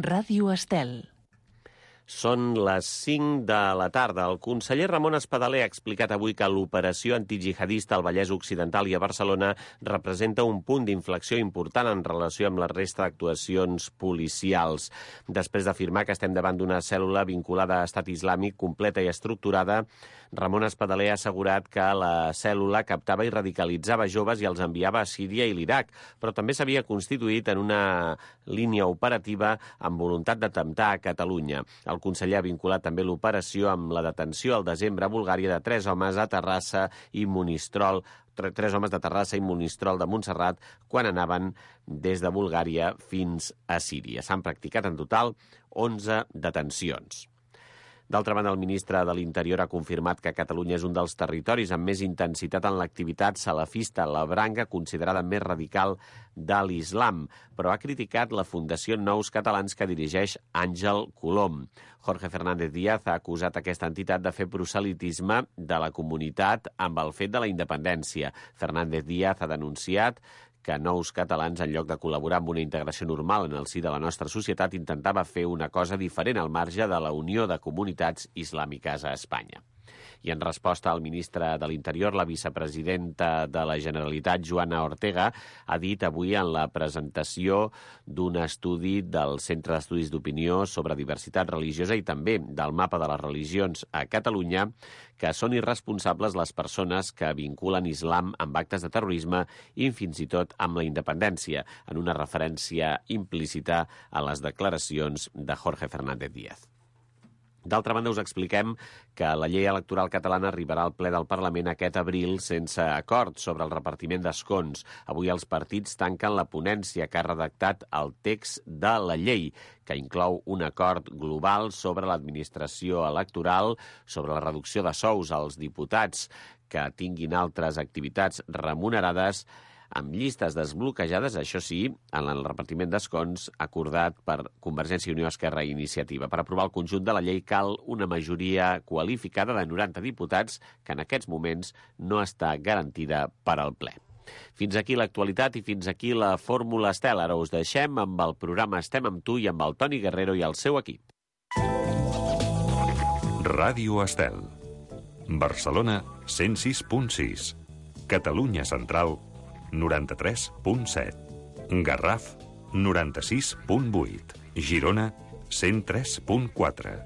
Ràdio Estel. Són les 5 de la tarda. El conseller Ramon Espadaler ha explicat avui que l'operació antijihadista al Vallès Occidental i a Barcelona representa un punt d'inflexió important en relació amb la resta d'actuacions policials. Després d'afirmar que estem davant d'una cèl·lula vinculada a Estat Islàmic completa i estructurada, Ramon Espadaler ha assegurat que la cèl·lula captava i radicalitzava joves i els enviava a Síria i l'Iraq, però també s'havia constituït en una línia operativa amb voluntat d'atemptar a Catalunya. El conseller ha vinculat també l'operació amb la detenció al desembre a Bulgària de 3 homes a Terrassa i Monistrol, 3 homes de Terrassa i Monistrol de Montserrat quan anaven des de Bulgària fins a Síria. S'han practicat en total 11 detencions. D'altra banda, el ministre de l'Interior ha confirmat que Catalunya és un dels territoris amb més intensitat en l'activitat salafista, la branca considerada més radical de l'islam, però ha criticat la Fundació Nous Catalans que dirigeix Àngel Colom. Jorge Fernández Díaz ha acusat aquesta entitat de fer proselitisme de la comunitat amb el fet de la independència. Fernández Díaz ha denunciat que Nous Catalans, en lloc de col·laborar amb una integració normal en el si de la nostra societat, intentava fer una cosa diferent al marge de la Unió de Comunitats Islàmiques a Espanya. I en resposta al ministre de l'Interior, la vicepresidenta de la Generalitat, Joana Ortega, ha dit avui en la presentació d'un estudi del Centre d'Estudis d'Opinió sobre Diversitat Religiosa i també del Mapa de les Religions a Catalunya que són irresponsables les persones que vinculen islam amb actes de terrorisme i fins i tot amb la independència, en una referència implícita a les declaracions de Jorge Fernández Díaz. D'altra banda, us expliquem que la llei electoral catalana arribarà al ple del Parlament aquest abril sense acord sobre el repartiment d'escons. Avui els partits tanquen la ponència que ha redactat el text de la llei, que inclou un acord global sobre l'administració electoral, sobre la reducció de sous als diputats que tinguin altres activitats remunerades, amb llistes desbloquejades, això sí, en el repartiment d'escons acordat per Convergència i Unió, Esquerra i Iniciativa. Per aprovar el conjunt de la llei cal una majoria qualificada de 90 diputats que en aquests moments no està garantida per al ple. Fins aquí l'actualitat i fins aquí la Fórmula Estel. Ara us deixem amb el programa Estem amb tu i amb el Toni Guerrero i el seu equip. Ràdio Estel. Barcelona 106.6. Catalunya Central 93.7. Garraf 96.8. Girona 103.4.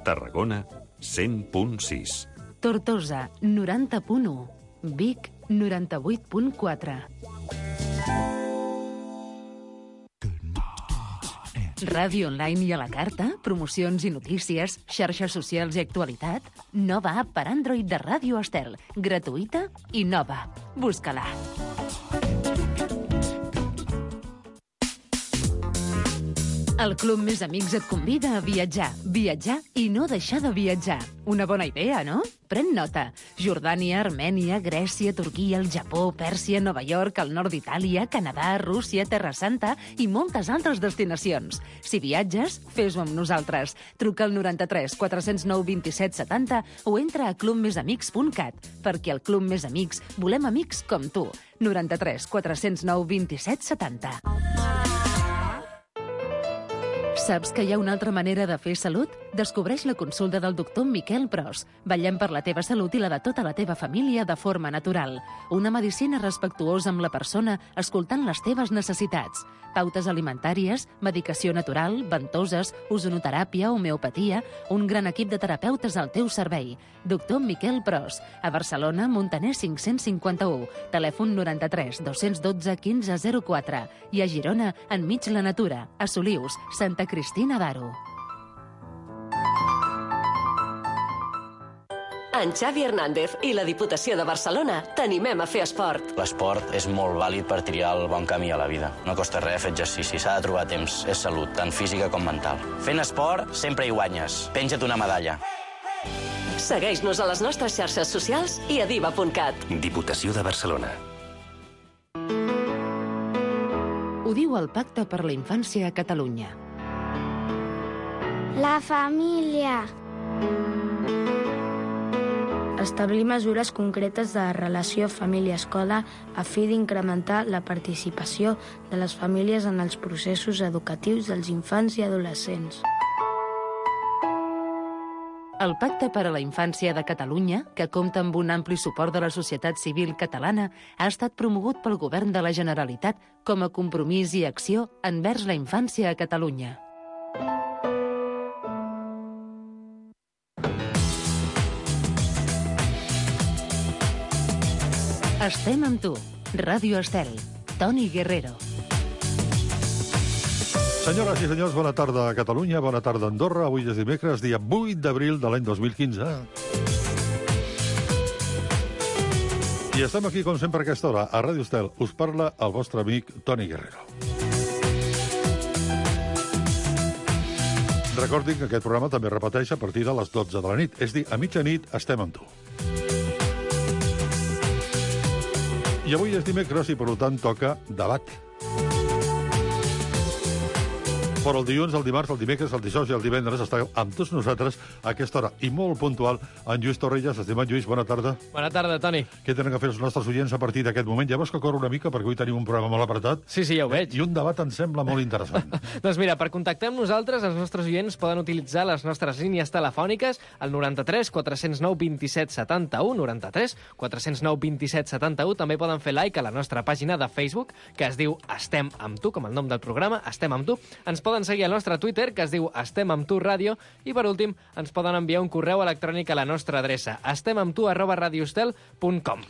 Tarragona 100.6. Tortosa 90.1. Vic 98.4. Ràdio online i a la carta, promocions i notícies, xarxes socials i actualitat. Nova app per Android de Ràdio Estel. Gratuïta i nova. Busca-la. El Club Més Amics et convida a viatjar. Viatjar i no deixar de viatjar. Una bona idea, no? Pren nota. Jordània, Armènia, Grècia, Turquia, el Japó, Pèrsia, Nova York, el nord d'Itàlia, Canadà, Rússia, Terra Santa i moltes altres destinacions. Si viatges, fes-ho amb nosaltres. Truca al 93 409 27 70 o entra a clubmesamics.cat, perquè al Club Més Amics volem amics com tu. 93 409 27 70. Saps que hi ha una altra manera de fer salut? Descobreix la consulta del doctor Miquel Pros. Vetllem per la teva salut i la de tota la teva família de forma natural. Una medicina respectuosa amb la persona, escoltant les teves necessitats. Pautes alimentàries, medicació natural, ventoses, ozonoteràpia, homeopatia, un gran equip de terapeutes al teu servei. Doctor Miquel Pros. A Barcelona, Montaner 551. Telèfon 93 212 1504. I a Girona, enmig la natura. A Solius, Santa Cristina d'Aro. En Xavi Hernández i la Diputació de Barcelona t'animem a fer esport. L'esport és molt vàlid per triar el bon camí a la vida. No costa res fer exercici, s'ha de trobar temps. És salut, tant física com mental. Fent esport sempre hi guanyes. Penja't una medalla. Segueix-nos a les nostres xarxes socials i a diva.cat. Diputació de Barcelona. Ho diu el Pacte per la Infància a Catalunya. La família. Establir mesures concretes de relació família-escola a fi d'incrementar la participació de les famílies en els processos educatius dels infants i adolescents. El Pacte per a la Infància de Catalunya, que compta amb un ampli suport de la societat civil catalana, ha estat promogut pel Govern de la Generalitat com a compromís i acció envers la infància a Catalunya. Estem amb tu. Ràdio Estel. Toni Guerrero. Senyores i senyors, bona tarda a Catalunya, bona tarda a Andorra. Avui és dimecres, dia 8 d'abril de l'any 2015. I estem aquí, com sempre, a aquesta hora, a Ràdio Estel. Us parla el vostre amic Toni Guerrero. Recordin que aquest programa també repeteix a partir de les 12 de la nit. És dir, a mitjanit estem amb tu. I avui és dimecres i, per tant, toca debat. Però el dilluns, el dimarts, el dimecres, el dijous i el divendres estàveu amb tots nosaltres a aquesta hora. I molt puntual, en Lluís Torrelles. Estimat Lluís, bona tarda. Bona tarda, Toni. Què tenen que fer els nostres oients a partir d'aquest moment? Ja veus que corre una mica, perquè avui tenim un programa molt apretat. Sí, ja ho veig. I un debat em sembla molt interessant. Doncs mira, per contactar amb nosaltres, els nostres oients poden utilitzar les nostres línies telefòniques al 93 409 27 71, 93 409 27 71. També poden fer like a la nostra pàgina de Facebook, que es diu Estem amb tu, com el nom del programa, Estem amb tu. Ens poden seguir al nostre Twitter, que es diu Estem amb tu ràdio, i per últim ens poden enviar un correu electrònic a la nostra adreça estemamtu@radioestel.com.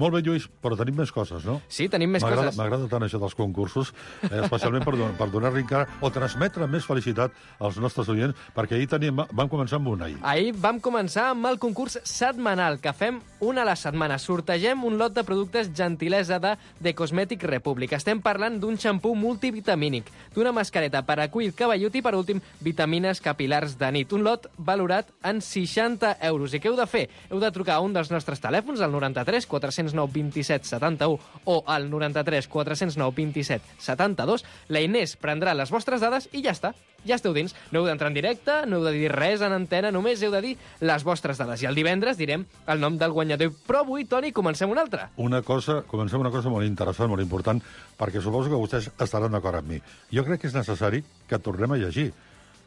Molt bé, Lluís, però tenim més coses, no? Sí, tenim més coses. M'agrada tant això dels concursos, especialment per donar-li encara o transmetre més felicitat als nostres oients, perquè ahir vam començar amb un ahir. Ahir vam començar amb el concurs setmanal, que fem una a la setmana. Sortegem un lot de productes gentilesa de The Cosmetic Republic. Estem parlant d'un xampú multivitamínic, d'una mascareta per a cuir cabellut i, per últim, vitamines capilars de nit. Un lot valorat en 60 euros. I què heu de fer? Heu de trucar a un dels nostres telèfons, al 93 409 27 71 o al 93 409 27 72. La Inés prendrà les vostres dades i ja està. Ja esteu dins. No heu d'entrar en directe, no heu de dir res en antena, només heu de dir les vostres dades. I el divendres direm el nom del guanyador. Però avui, Toni, comencem una altra. Comencem una cosa molt interessant, molt important, perquè suposo que vostès estaran d'acord amb mi. Jo crec que és necessari que tornem a llegir,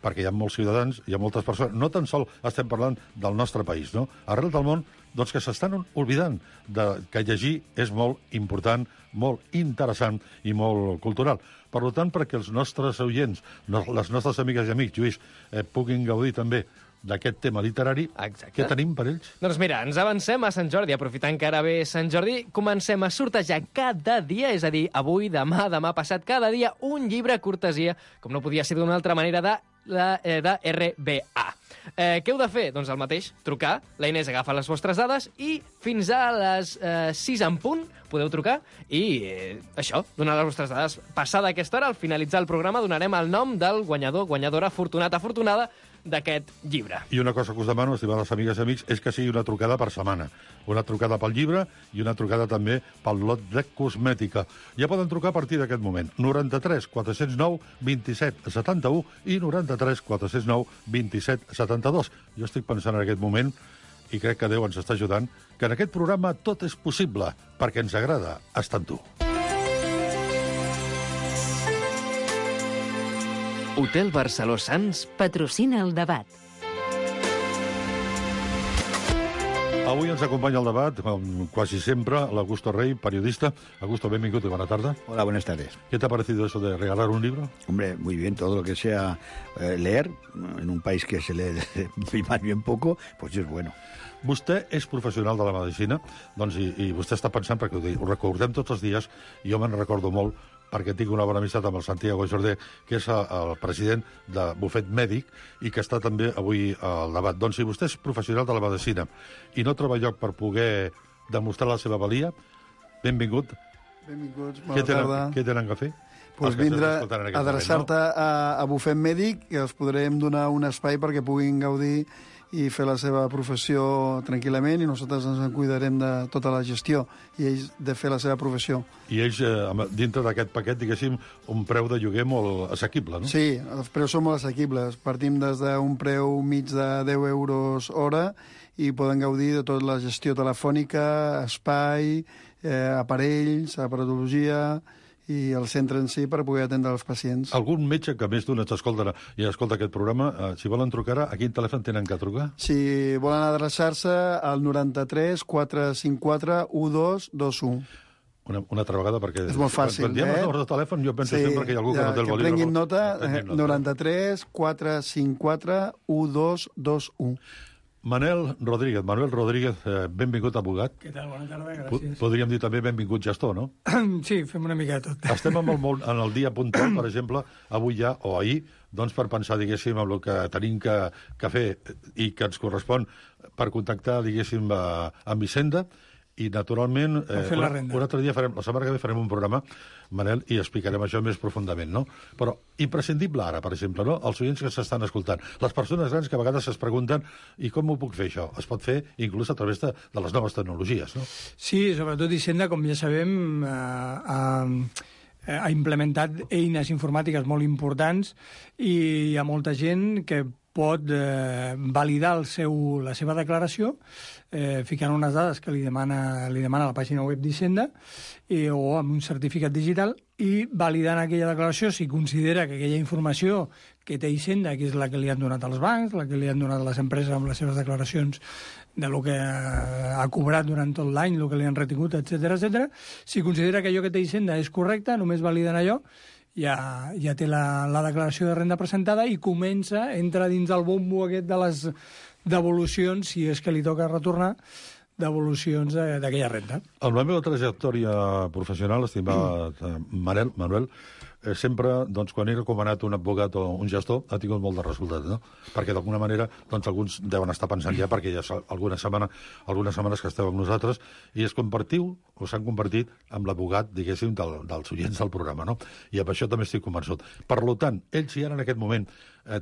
perquè hi ha molts ciutadans, hi ha moltes persones, no tan sol estem parlant del nostre país, no? Arrel del món, doncs que s'estan oblidant que llegir és molt important, molt interessant i molt cultural. Per tant, perquè els nostres oients, les nostres amigues i amics, Lluís, puguin gaudir també d'aquest tema literari. Exacte. Què tenim per ells? Doncs mira, ens avancem a Sant Jordi. Aprofitant que ara ve Sant Jordi, comencem a sortejar cada dia, és a dir, avui, demà passat, cada dia, un llibre cortesia, com no podia ser d'una altra manera, de RBA. Què heu de fer? Doncs el mateix, trucar, la Inés agafa les vostres dades i fins a les 6 en punt podeu trucar i això, donar les vostres dades. Passada aquesta hora, al finalitzar el programa, donarem el nom del guanyador, guanyadora, afortunat, afortunada d'aquest llibre. I una cosa que us demano, estimades amigues i amics, és que sigui una trucada per setmana. Una trucada pel llibre i una trucada també pel lot de cosmètica. Ja poden trucar a partir d'aquest moment. 93 409 27 71 i 93 409 27 72. Jo estic pensant en aquest moment, i crec que Déu ens està ajudant, que en aquest programa tot és possible, perquè ens agrada estar amb tu. Hotel Barceló Sants patrocina el debat. Avui ens acompanya el debat, com quasi sempre, l'Augusto Rey, periodista. Augusto, benvingut y buena tarde. Hola, buenas tardes. ¿Qué te ha parecido eso de regalar un libro? Hombre, muy bien, todo lo que sea leer, en un país que se lee más bien poco, pues es bueno. Vostè és professional de la medicina, doncs, i vostè està pensant, perquè ho recordem tots els dies, i jo me'n recordo molt, perquè tinc una bona amistat amb el Santiago Jordé, que és el president de Bufet Mèdic i que està també avui al debat. Doncs si vostè és professional de la medicina i no troba lloc per poder demostrar la seva valia, benvingut. Benvinguts, bona tarda. Què tenen que fer? Pues vindre a adreçar-te a Bufet Mèdic, que els podrem donar un espai perquè puguin gaudir i fer la seva professió tranquil·lament, i nosaltres ens en cuidarem de tota la gestió, i ells de fer la seva professió. I ells, dintre d'aquest paquet, diguéssim, un preu de lloguer molt assequible, no? Sí, els preus són molt assequibles. Partim des d'un preu mig de 10 euros hora i poden gaudir de tota la gestió telefònica, espai, aparells, aparatologia i el centre en si per poder atendre els pacients. Algun metge que més d'un ens escolta i escolta aquest programa, si volen trucar, a quin telèfon tenen que trucar? Si volen adreçar-se al 93 454 1221. Una altra vegada, perquè... És molt fàcil, Quan diem els números de telèfon, jo penso sempre que hi ha algú que no té el bolígraf. Que prenguin nota, 93 454 1221. Manuel Rodríguez, benvingut abogat. Què tal? Bona tarda, gràcies. Podríem dir també benvingut gestor, no? Sí, fem una mica de tot. Estem en el dia puntual, per exemple, avui ja, o ahir, doncs per pensar, diguéssim, en el que tenim que fer i que ens correspon per contactar, diguéssim, amb Hisenda. I, naturalment, un altre dia, la setmana que ve farem un programa, Manel, i explicarem això més profundament, no? Però imprescindible ara, per exemple, no? Els oients que s'estan escoltant, les persones grans que a vegades es pregunten i com ho puc fer això? Es pot fer inclús a través de les noves tecnologies, no? Sí, sobretot Hisenda, com ja sabem, ha implementat eines informàtiques molt importants i hi ha molta gent que pot validar la seva declaració ficant unes dades que li demana la pàgina web d'Hisenda o amb un certificat digital i validant aquella declaració si considera que aquella informació que té Hisenda, que és la que li han donat als bancs, la que li han donat les empreses amb les seves declaracions de lo que ha cobrat durant tot l'any, el que li han retingut, etc. Si considera que allò que té Hisenda és correcte, només validen allò, ja té la declaració de renda presentada i entra dins el bombo aquest de les devolucions, si és que li toca retornar, devolucions d'aquella renda. En la meva trajectòria professional, estimat Manuel, sempre, doncs, quan he recomanat un advocat o un gestor, ha tingut molt de resultat, no? Perquè, d'alguna manera, doncs, alguns deuen estar pensant ja, perquè ja algunes setmanes que esteu amb nosaltres, i s'han convertit en l'advogat, diguéssim, dels oients del programa, no? I amb això també estic convençut. Per tant, ells, si ara en aquest moment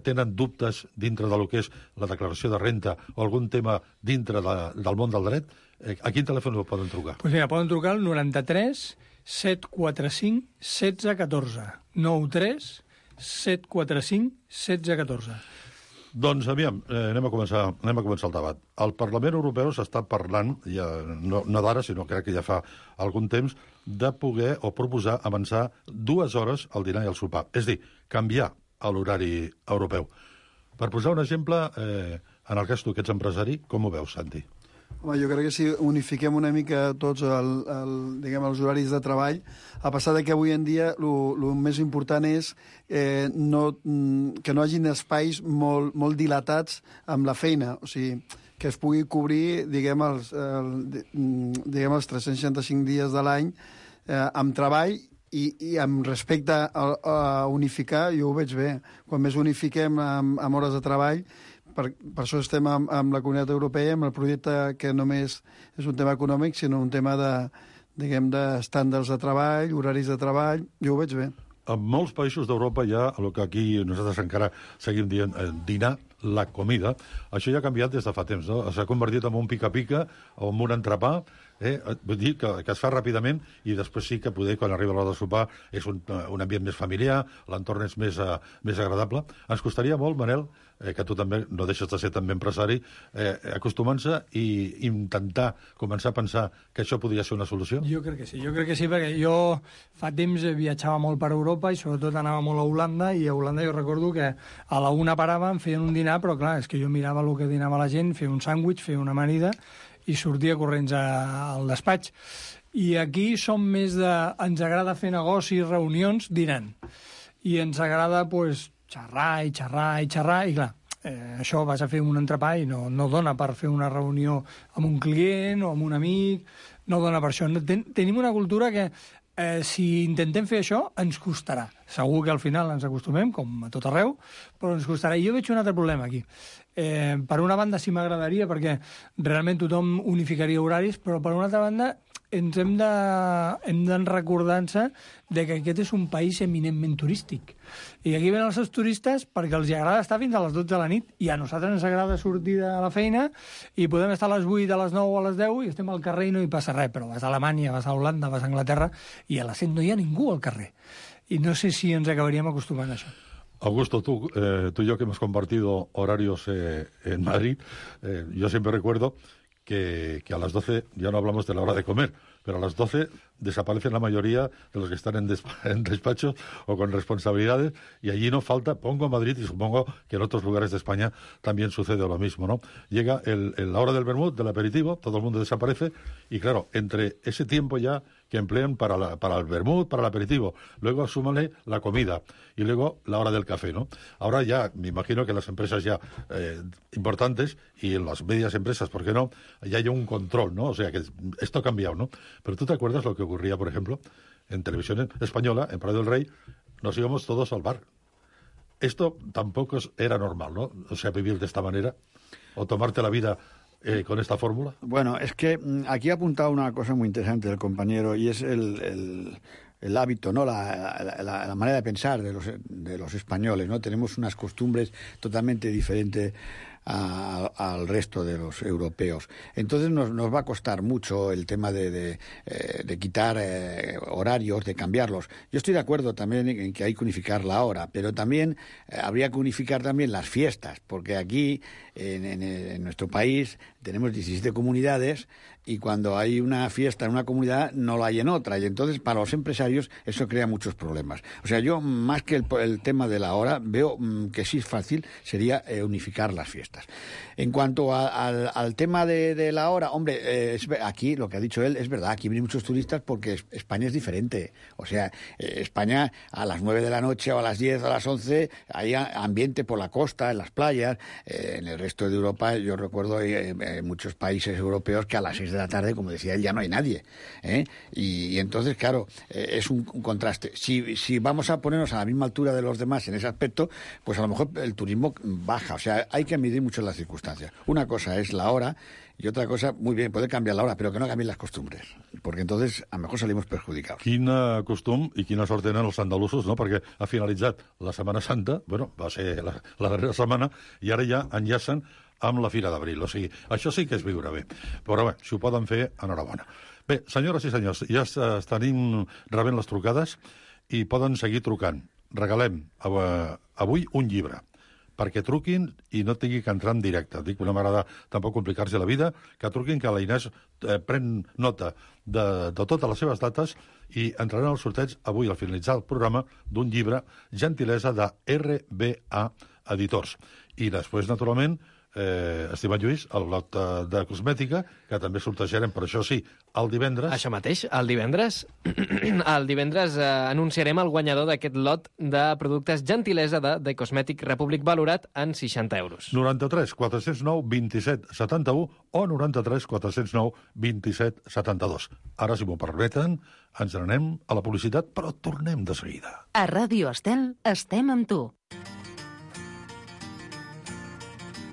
tenen dubtes dintre del que és la declaració de renta o algun tema dintre del món del dret, a quin telèfon poden trucar? Doncs mira, poden trucar al 93 745 1614. 93 745 1614. Doncs, aviam, anem a començar el debat. Al Parlament Europeu s'està parlant, ja, no d'ara, sinó crec que ja fa algun temps, de poder o proposar avançar 2 hores al dinar i al sopar. És a dir, canviar l'horari europeu. Per posar un exemple, en el cas tu, que ets empresari, com ho veus, Santi? Home, jo crec que si unifiquem una mica tots els horaris de treball, a pesar de que avui en dia el més important és que no hagin espais molt dilatats amb la feina, o sigui, que es pugui cobrir, diguem, els 365 dies de l'any amb treball i amb respecte a unificar, jo ho veig bé. Quan més unifiquem amb hores de treball, per això estem amb la Comunitat Europea, amb el projecte que només és un tema econòmic, sinó un tema d'estàndards de treball, horaris de treball, jo ho veig bé. En molts països d'Europa hi ha el que aquí nosaltres encara seguim dient dinar, la comida. Això ja ha canviat des de fa temps, no? S'ha convertit en un pica-pica o en un entrepà, vull dir que es fa ràpidament i després sí que poder, quan arriba l'hora de sopar, és un ambient més familiar, l'entorn és més agradable. Ens costaria molt, Manel, que tu també no deixes de ser també empresari, acostumant-se i intentar començar a pensar que això podria ser una solució? Jo crec que sí, perquè jo fa temps viatjava molt per Europa i sobretot anava molt a Holanda, i a Holanda jo recordo que a la una paràvem, feien un dinar, però clar, és que jo mirava el que dinava la gent, feia un sàndwich, feia una amanida i sortia corrents al despatx. I aquí som més de... Ens agrada fer negocis, reunions, dinant. I ens agrada, doncs, xerrar, i clar, això vas a fer un entrepà i no dona per fer una reunió amb un client o amb un amic, no dona per això. Tenim una cultura que si intentem fer això, ens costarà. Segur que al final ens acostumem, com a tot arreu, però ens costarà. I jo veig un altre problema aquí. Per una banda sí m'agradaria, perquè realment tothom unificaria horaris, però per una altra banda ens hem de recordar-se de que aquest és un país eminentment turístic. I aquí venen els seus turistes perquè els agrada estar fins a les 12 de la nit i a nosaltres ens agrada sortir de la feina i podem estar a les 8, a les 9 o a les 10 i estem al carrer i no hi passa res, però vas a Alemanya, vas a Holanda, vas a Anglaterra i a les 7 no hi ha ningú al carrer. Y no sé si ens acabaríem acostumbrant a això. Augusto, tú y yo que hemos compartido horarios en Madrid, yo siempre recuerdo que a las 12 ya no hablamos de la hora de comer, pero a las 12 desaparecen la mayoría de los que están en despachos o con responsabilidades y allí no falta, pongo Madrid y supongo que en otros lugares de España también sucede lo mismo, ¿no? Llega la hora del vermut, del aperitivo, todo el mundo desaparece y claro, entre ese tiempo ya que emplean para el vermut, para el aperitivo, luego súmale la comida y luego la hora del café, ¿no? Ahora ya, me imagino que las empresas ya importantes y en las medias empresas, ¿por qué no? Ya hay un control, ¿no? O sea que esto ha cambiado, ¿no? Pero ¿tú te acuerdas lo que ocurría, por ejemplo, en televisión española, en Prado del Rey, nos íbamos todos al bar? Esto tampoco era normal, ¿no? O sea, vivir de esta manera o tomarte la vida con esta fórmula. Bueno, es que aquí ha apuntado una cosa muy interesante el compañero y es el hábito, ¿no? La manera de pensar de los españoles, ¿no? Tenemos unas costumbres totalmente diferentes al resto de los europeos. Entonces nos va a costar mucho el tema de quitar horarios, de cambiarlos. Yo estoy de acuerdo también en que hay que unificar la hora, pero también habría que unificar también las fiestas, porque aquí en nuestro país tenemos 17 comunidades y cuando hay una fiesta en una comunidad no la hay en otra, y entonces para los empresarios eso crea muchos problemas. O sea, yo más que el tema de la hora veo que sí es fácil, sería unificar las fiestas. En cuanto al tema de la hora, hombre, aquí lo que ha dicho él es verdad, aquí vienen muchos turistas porque España es diferente. O sea, España a las 9 de la noche o a las 10 o a las 11 hay ambiente por la costa, en las playas. En el resto de Europa yo recuerdo muchos países europeos que a las 6 de la tarde, como decía él, ya no hay nadie. Y entonces, claro, es un contraste. Si vamos a ponernos a la misma altura de los demás en ese aspecto, pues a lo mejor el turismo baja. O sea, hay que medir mucho las circunstancias. Una cosa es la hora y otra cosa, muy bien, puede cambiar la hora, però que no canvien les costumbres, perquè entonces a lo mejor salimos perjudicados. Quina costum i quina sort tenen els andalusos, no? Perquè ha finalitzat la Setmana Santa, bueno, va ser la darrera setmana, i ara ja enllacen amb la Fira d'Abril. O sigui, això sí que és viure bé. Però bé, si ho poden fer, enhorabona. Bé, senyores i senyors, ja estem rebent les trucades i poden seguir trucant. Regalem avui un llibre, perquè truquin i no tingui que entrar en directe. Dic, no m'agrada tampoc complicar-se la vida, que truquin, que la Inés pren nota de totes les seves dates i entraran al sorteig avui, al finalitzar el programa, d'un llibre, gentilesa de RBA Editors. I després, naturalment, estimat Lluís, el lot de cosmètica, que també sortejarem, per això sí, el divendres. Això mateix, el divendres anunciarem el guanyador d'aquest lot de productes gentilesa de The Cosmetic Republic valorat en 60 euros. 93 409 27 71 o 93 409 27 72. Ara, si m'ho permeten, ens n'anem a la publicitat, però tornem de seguida. A Ràdio Estel estem amb tu.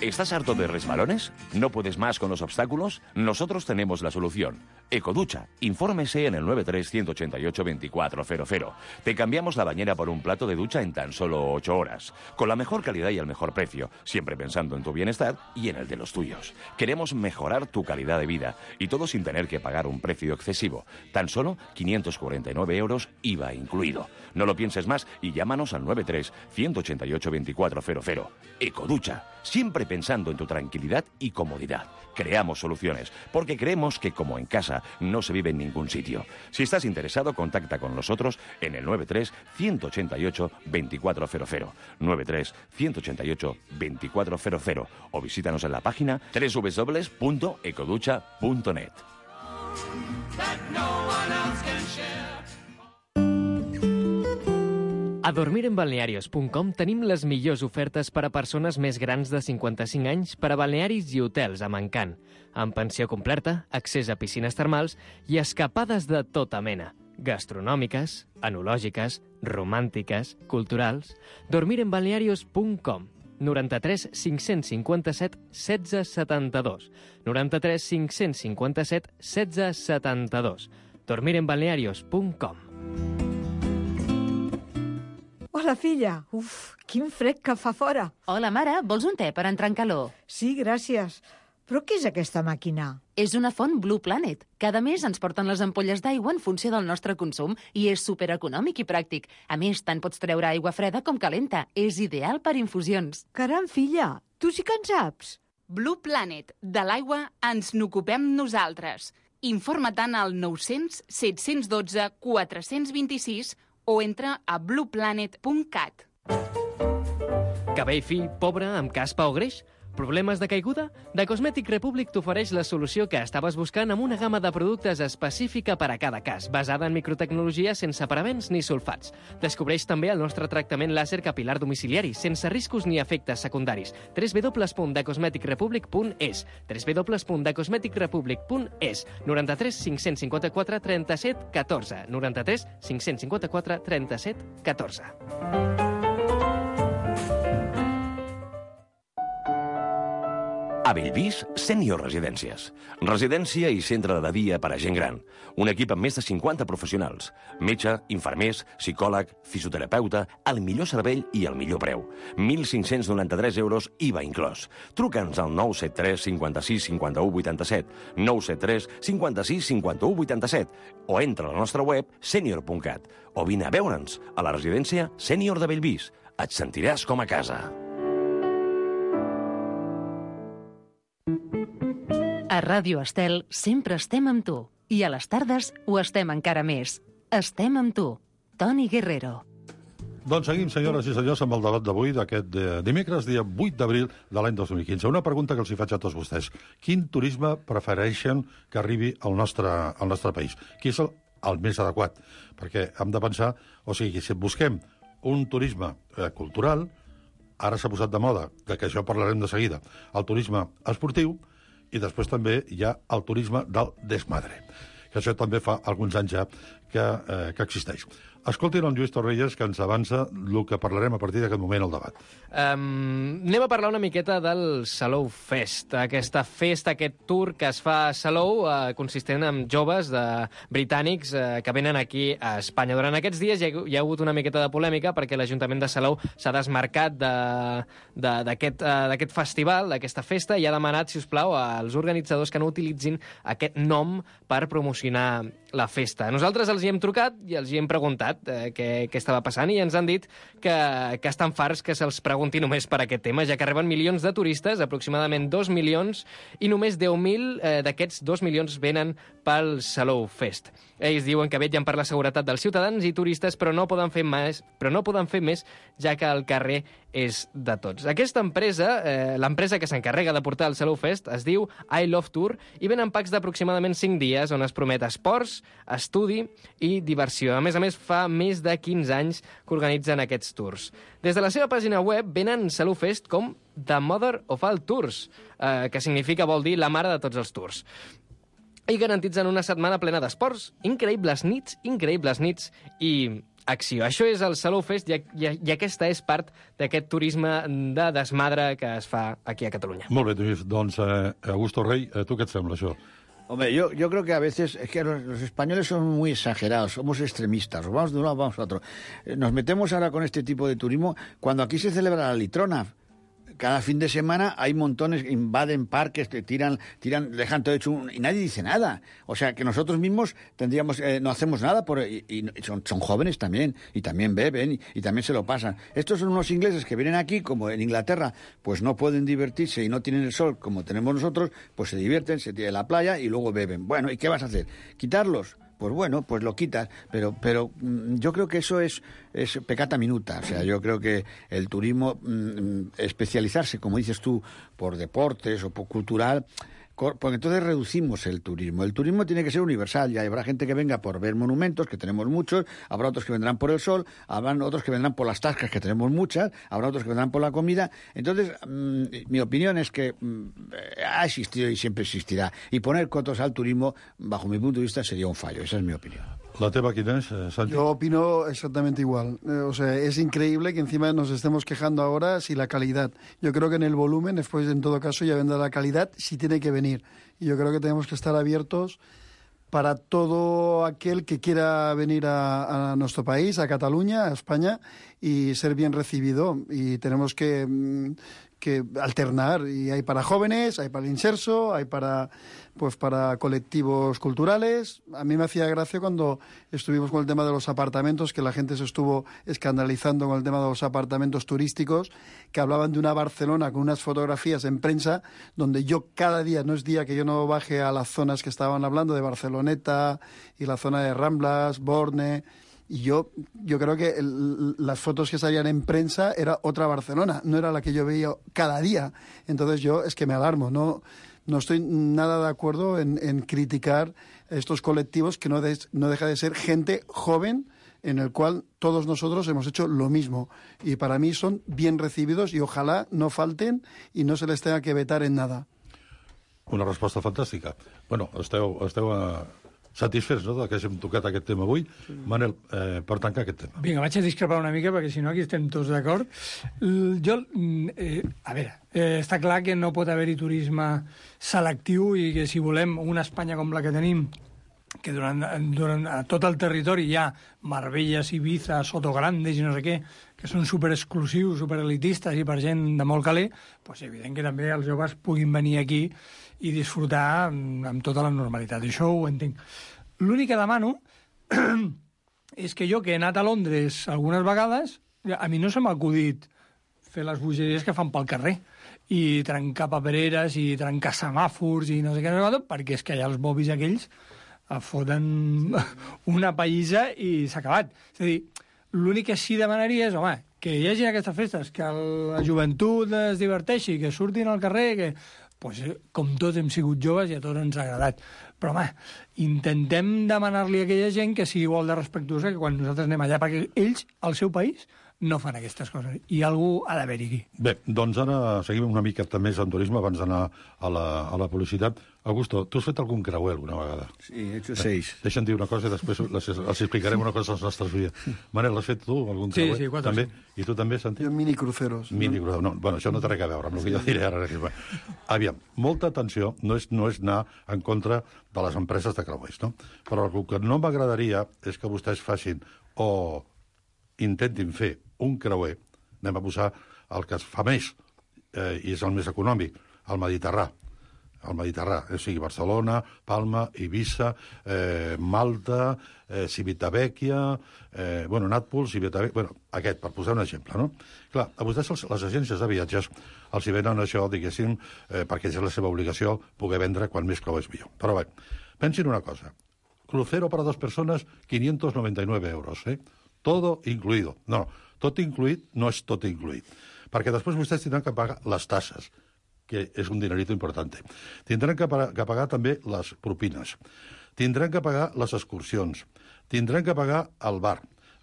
¿Estás harto de resbalones? ¿No puedes más con los obstáculos? Nosotros tenemos la solución. Ecoducha. Infórmese en el 93-188-2400. Te cambiamos la bañera por un plato de ducha en tan solo 8 horas. Con la mejor calidad y el mejor precio. Siempre pensando en tu bienestar y en el de los tuyos. Queremos mejorar tu calidad de vida. Y todo sin tener que pagar un precio excesivo. Tan solo 549 euros IVA incluido. No lo pienses más y llámanos al 93-188-2400. Ecoducha. Siempre pensando en tu tranquilidad y comodidad. Creamos soluciones, porque creemos que como en casa no se vive en ningún sitio. Si estás interesado, contacta con nosotros en el 93-188-2400, 93-188-2400 o visítanos en la página www.ecoducha.net. A dormirenbalnearios.com tenim les millors ofertes per a persones més grans de 55 anys per a balnearis i hotels a Mancant, amb pensió completa, accés a piscines termals i escapades de tota mena, gastronòmiques, enològiques, romàntiques, culturals. Dormirenbalnearios.com. 93 557 1672. 93 557 1672. dormirenbalnearios.com. Hola, filla. Uf, quin fred que fa fora. Hola, mare, vols un te per entrar en calor? Sí, gràcies. Però què és aquesta màquina? És una font Blue Planet. Cada mes ens porten les ampolles d'aigua en funció del nostre consum i és supereconòmic i pràctic. A més, tant pots treure aigua freda com calenta. És ideal per infusions. Caram, filla, tu sí que en saps. Blue Planet. De l'aigua ens n'ocupem nosaltres. Informa-te'n al 900 712 426 o entra a blueplanet.cat. Cabell fi, pobre, amb caspa o greix? Problemes de caiguda? The Cosmetic Republic t'ofereix la solució que estaves buscant amb una gamma de productes específica per a cada cas, basada en microtecnologia sense parabens ni sulfats. Descobreix també el nostre tractament làser capilar domiciliari, sense riscos ni efectes secundaris. www.thecosmeticrepublic.es www.thecosmeticrepublic.es 93 554 37 14 93 554 37 14. A Bellvís, Sènior Residències. Residència i centre de dia per a gent gran. Un equip amb més de 50 professionals. Metge, infermers, psicòleg, fisioterapeuta, el millor servei i el millor preu. 1.593 euros, IVA inclòs. Truca'ns al 973 56 51 87, 973 56 51 87, o entra a la nostra web senior.cat, o vine a veure'ns a la residència Sènior de Bellvís. Et sentiràs com a casa. A Ràdio Estel sempre estem amb tu. I a les tardes ho estem encara més. Estem amb tu. Toni Guerrero. Doncs seguim, senyores i senyors, amb el debat d'avui, d'aquest dimecres, dia 8 d'abril de l'any 2015. Una pregunta que els hi faig a tots vostès. Quin turisme prefereixen que arribi al nostre país? Qui és el més adequat? Perquè hem de pensar, o sigui, si busquem un turisme cultural, ara s'ha posat de moda, que això parlarem de seguida, el turisme esportiu, i després també hi ha el turisme del desmadre, que això també fa alguns anys ja que existeix. Escoltin el Lluís Torrelles, que ens avança el que parlarem a partir d'aquest moment al debat. Anem a parlar una miqueta del Salou Fest, aquesta festa, aquest tour que es fa a Salou, consistent en joves britànics que venen aquí a Espanya. Durant aquests dies hi ha hagut una miqueta de polèmica perquè l'Ajuntament de Salou s'ha desmarcat d'aquest festival, d'aquesta festa, i ha demanat, si us plau, als organitzadors que no utilitzin aquest nom per promocionar la festa. Nosaltres els hi hem trucat i els hi hem preguntat què estava passant, i ens han dit que estan farts que se'ls pregunti només per aquest tema, ja que arriben milions de turistes, aproximadament 2 milions, i només 10.000 d'aquests 2 milions venen pel Salou Fest. Ells diuen que vetllen per la seguretat dels ciutadans i turistes, però no poden fer més, ja que el carrer és de tots. Aquesta empresa, l'empresa que s'encarrega de portar el Salou Fest, es diu I Love Tour, i venen packs d'aproximadament 5 dies on es promet esports, estudi i diversió. A més, fa més de 15 anys que organitzen aquests tours. Des de la seva pàgina web venen Salou Fest com The Mother of All Tours, que vol dir la mare de tots els tours. I garantitzen una setmana plena d'esports, increïbles nits i acció. Això és el Salou Fest i aquesta és part d'aquest turisme de desmadre que es fa aquí a Catalunya. Molt bé, Lluís. Doncs, Augusto Rey, tu què et sembla, això? Hombre, yo creo que a veces es que los españoles son muy exagerados, somos extremistas, vamos de un lado, vamos a otro. Nos metemos ahora con este tipo de turismo cuando aquí se celebra la litrona. Cada fin de semana hay montones, invaden parques, tiran, dejan todo hecho y nadie dice nada. O sea, que nosotros mismos tendríamos, no hacemos nada y son jóvenes también, y también beben y también se lo pasan. Estos son unos ingleses que vienen aquí, como en Inglaterra, pues no pueden divertirse y no tienen el sol como tenemos nosotros, pues se divierten, se tiran a la playa y luego beben. Bueno, ¿y qué vas a hacer? ¿Quitarlos? Pues bueno, pues lo quitas, pero yo creo que eso es peccata minuta. O sea, yo creo que el turismo, especializarse, como dices tú, por deportes o por cultural, porque entonces reducimos el turismo. El turismo tiene que ser universal, y habrá gente que venga por ver monumentos, que tenemos muchos, habrá otros que vendrán por el sol, habrá otros que vendrán por las tascas, que tenemos muchas, habrá otros que vendrán por la comida. Entonces, mi opinión es que ha existido y siempre existirá. Y poner cotos al turismo, bajo mi punto de vista, sería un fallo. Esa es mi opinión. La teva quina es, Santi? Yo opino exactamente igual. O sea, es increíble que encima nos estemos quejando ahora si la calidad. Yo creo que en el volumen, después en todo caso ya vendrá la calidad si tiene que venir. Y yo creo que tenemos que estar abiertos para todo aquel que quiera venir a nuestro país, a Cataluña, a España, y ser bien recibido. Y tenemos que alternar. Y hay para jóvenes, hay para el inserso, hay para colectivos culturales. A mí me hacía gracia cuando estuvimos con el tema de los apartamentos, que la gente se estuvo escandalizando con el tema de los apartamentos turísticos, que hablaban de una Barcelona con unas fotografías en prensa, donde yo cada día, no es día que yo no baje a las zonas que estaban hablando, de Barceloneta y la zona de Ramblas, Borne. Y yo creo que las fotos que salían en prensa era otra Barcelona, no era la que yo veía cada día. Entonces yo es que me alarmo, no estoy nada de acuerdo en criticar estos colectivos que no deja de ser gente joven en el cual todos nosotros hemos hecho lo mismo. Y para mí son bien recibidos y ojalá no falten y no se les tenga que vetar en nada. Una resposta fantàstica. Bueno, esteu satisfets, no?, que hàgim tocat aquest tema avui. Manel, per tancar aquest tema. Vinga, vaig a discrepar una mica, perquè si no aquí estem tots d'acord. A veure, està clar que no pot haver-hi turisme selectiu i que si volem una Espanya com la que tenim, que durant tot el territori hi ha Marbelles, Ibiza, Sotograndes i no sé què, que són superexclusius, superelitistes i per gent de molt caler, doncs evident que també els joves puguin venir aquí i disfrutar amb tota la normalitat. Això ho entenc. L'únic que demano és que jo, que he anat a Londres algunes vegades, a mi no se m'ha acudit fer les bogeries que fan pel carrer i trencar papereres i trencar semàfors i no sé què, perquè és que allà els bobis aquells foten una païssa i s'ha acabat. És a dir, l'únic que sí demanaria és, home, que hi hagi aquestes festes, que la joventut es diverteixi, que surtin al carrer, que pues, com tots hem sigut joves i a tots ens ha agradat. Però, home, intentem demanar-li a aquella gent que sigui igual de respectuosa que quan nosaltres anem allà, perquè ells, al seu país, no fan aquestes coses. I algú ha d'haver-hi aquí. Bé, doncs ara seguim una mica més en turisme abans d'anar a la publicitat. Augusto, tu has fet algun creuer alguna vegada? Sí, he hecho 6. Deixa'm dir una cosa i després els explicarem una cosa als nostres oients. Manel, has fet tu algun creuer? Sí, 4 també? I tu també, Santi? Jo minicruceros. Minicruceros. No, bueno, això no té res a veure amb el que jo diré ara. Aviam, molta atenció, no és anar en contra de les empreses de creuers, no? Però el que no m'agradaria és que vostès facin o intentin fer un creuer, anem a posar el que es fa més, i és el més econòmic, el Mediterrà. El Mediterrà, o sigui, Barcelona, Palma, Eivissa, Malta, Civitavecchia, Nàpols, Civitavecchia... aquest, per posar un exemple, no? Clar, a vostès les agències de viatges els hi venen això, diguéssim, perquè és la seva obligació poder vendre quan més creuers millor. Però bé, pensin una cosa. Crucero para 2 persones, 599 euros, Todo incluido. No, tot incluït no és tot incluït. Perquè després vostès tindran que pagar les tasses, que és un dinerito important. Tindran que pagar també les propines. Tindran que pagar les excursions. Tindran que pagar el bar.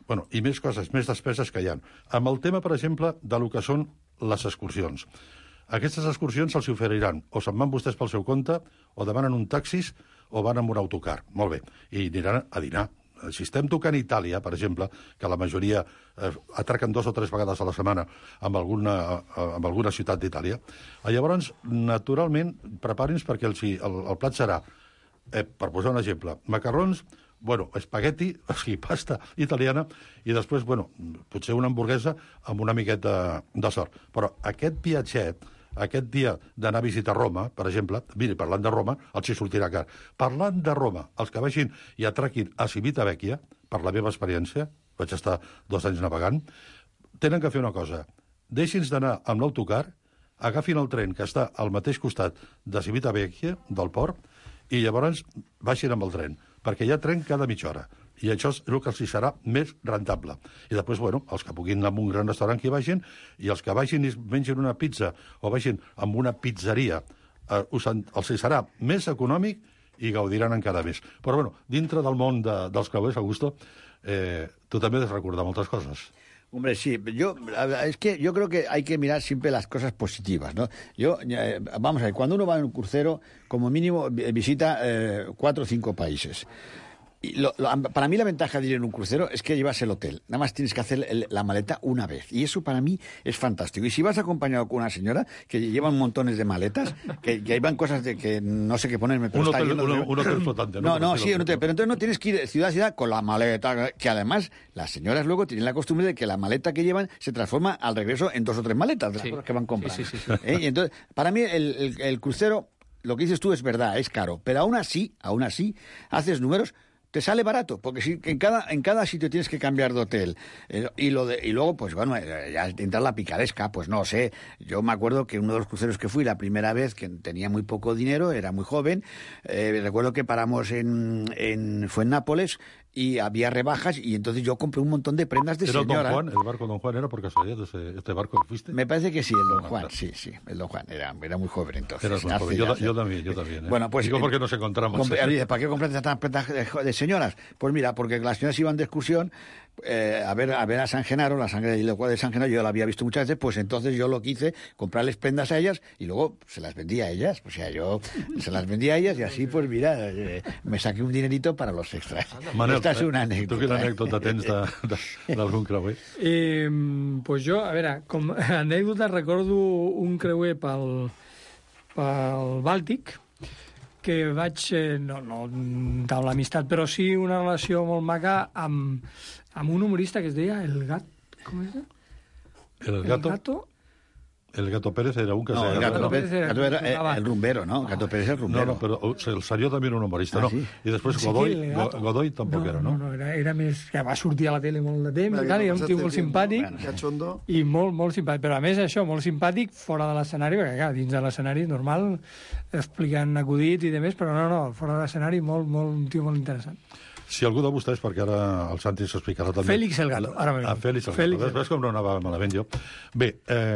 Bueno, i més coses, més despeses que hi ha. Amb el tema, per exemple, de lo que són les excursions. Aquestes excursions se'ls oferiran o se'n van vostès pel seu compte, o demanen un taxis, o van amb un autocar. Molt bé. I aniran a dinar. Si estem tocant Itàlia, per exemple, que la majoria atraquen 2 o 3 vegades a la setmana amb alguna ciutat d'Itàlia, llavors, naturalment, preparin-se perquè el plat serà, per posar un exemple, macarrons, espagueti, o sigui, pasta italiana, i després, potser una hamburguesa amb una miqueta de sort. Però aquest viatget, aquest dia d'anar a visitar Roma, per exemple, miri, parlant de Roma, els hi sortirà car. Parlant de Roma, els que vagin i atraquin a Civitavecchia, per la meva experiència, vaig estar 2 anys navegant, tenen que fer una cosa. Deixin-nos d'anar amb l'autocar, agafin el tren que està al mateix costat de Civitavecchia, del port, i llavors baixin amb el tren, perquè hi ha tren cada mitja hora. I això és el que els serà més rentable. I després, els que puguin anar a un gran restaurant que hi vagin, i els que vagin i mengin una pizza o vagin a una pizzeria, els serà més econòmic i gaudiran encara més. Però, dintre del món dels creuers, Augusto, tu també has de recordar moltes coses. Hombre, sí, es que yo creo que hay que mirar siempre las cosas positivas, ¿no? Vamos a ver, cuando uno va en un crucero, como mínimo visita 4 o 5 países. Para mí la ventaja de ir en un crucero es que llevas el hotel. Nada más tienes que hacer la maleta una vez. Y eso para mí es fantástico. Y si vas acompañado con una señora que lleva montones de maletas, que llevan cosas de que no sé qué ponerme. Pero un hotel flotante, ¿no? No, sí, un hotel. Pero entonces no tienes que ir de ciudad a ciudad con la maleta. Que además las señoras luego tienen la costumbre de que la maleta que llevan se transforma al regreso en 2 o 3 maletas de las cosas que van comprando. Sí. Y entonces, para mí el crucero, lo que dices tú es verdad, es caro. Pero aún así, haces números. Te sale barato, porque si en cada sitio tienes que cambiar de hotel. Y luego, pues bueno, ya entrar la picaresca, pues no sé. Yo me acuerdo que uno de los cruceros que fui la primera vez, que tenía muy poco dinero, era muy joven, recuerdo que paramos fue en Nápoles, y había rebajas, y entonces yo compré un montón de prendas de señora. ¿Era Don Juan? ¿El barco Don Juan era por casualidad este barco que fuiste? Me parece que sí, el Don Juan, sí, el Don Juan. Era muy joven entonces. Eras muy joven. Yo también. Bueno, pues... Digo, porque nos encontramos. ¿Para qué compraste tantas prendas de señoras? Pues mira, porque las señoras iban de excursión a ver a San Genaro, la sangre de San Genaro, yo la había visto muchas veces, pues entonces yo lo que hice, comprarles prendas a ellas y luego se las vendía a ellas. O sea, yo se las vendía a ellas y así, pues mira, me saqué un dinerito para los extras. Manel, esta és una anècdota. Tu quina anècdota tens d'algun creuer? Pues jo, a veure, com a anècdota recordo un creuer pel Bàltic, que vaig, no taula l'amistat, però sí una relació molt maca amb un humorista que es deia El Gat... Com és? El Gato? El Gato Pérez era un que... No, el Gato Pérez era el rumbero, ¿no? Gato Pérez el rumbero. No, però el Sarió també era un humorista, no? I després Godoy tampoc era, no? No, era més... que va sortir a la tele molt de temps, i era un tio molt simpàtic, i molt simpàtic. Però a més això, molt simpàtic fora de l'escenari, perquè clar, dins de l'escenari normal, explicant acudits i demés, però no, fora de l'escenari un tio molt interessant. Si algú de vostès, perquè ara el Santi s'explicarà també... Félix el Gato, ara m'he Félix el Gato. Ves com no anava malament jo. Bé,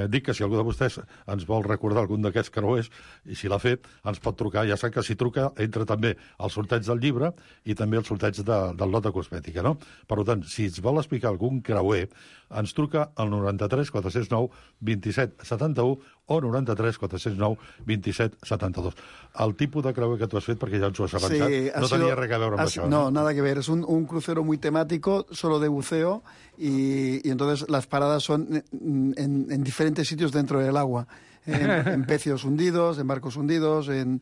dic que si algú de vostès ens vol recordar algun d'aquests creuers, i si l'ha fet, ens pot trucar. Ja sap que si truca entra també al sorteig del llibre i també al sorteig del lot de cosmètica, no? Per tant, si ens vol explicar algun creuer, ens truca al 93 409 27 71 o 93 409 27 72. El tipus de creuer que tu has fet, perquè ja ens ho has avançat, no tenia res a veure amb això. No, nada que ver. Es un crucero muy temático, solo de buceo, y entonces las paradas son en diferentes sitios dentro del agua. En pecios hundidos, en barcos hundidos, en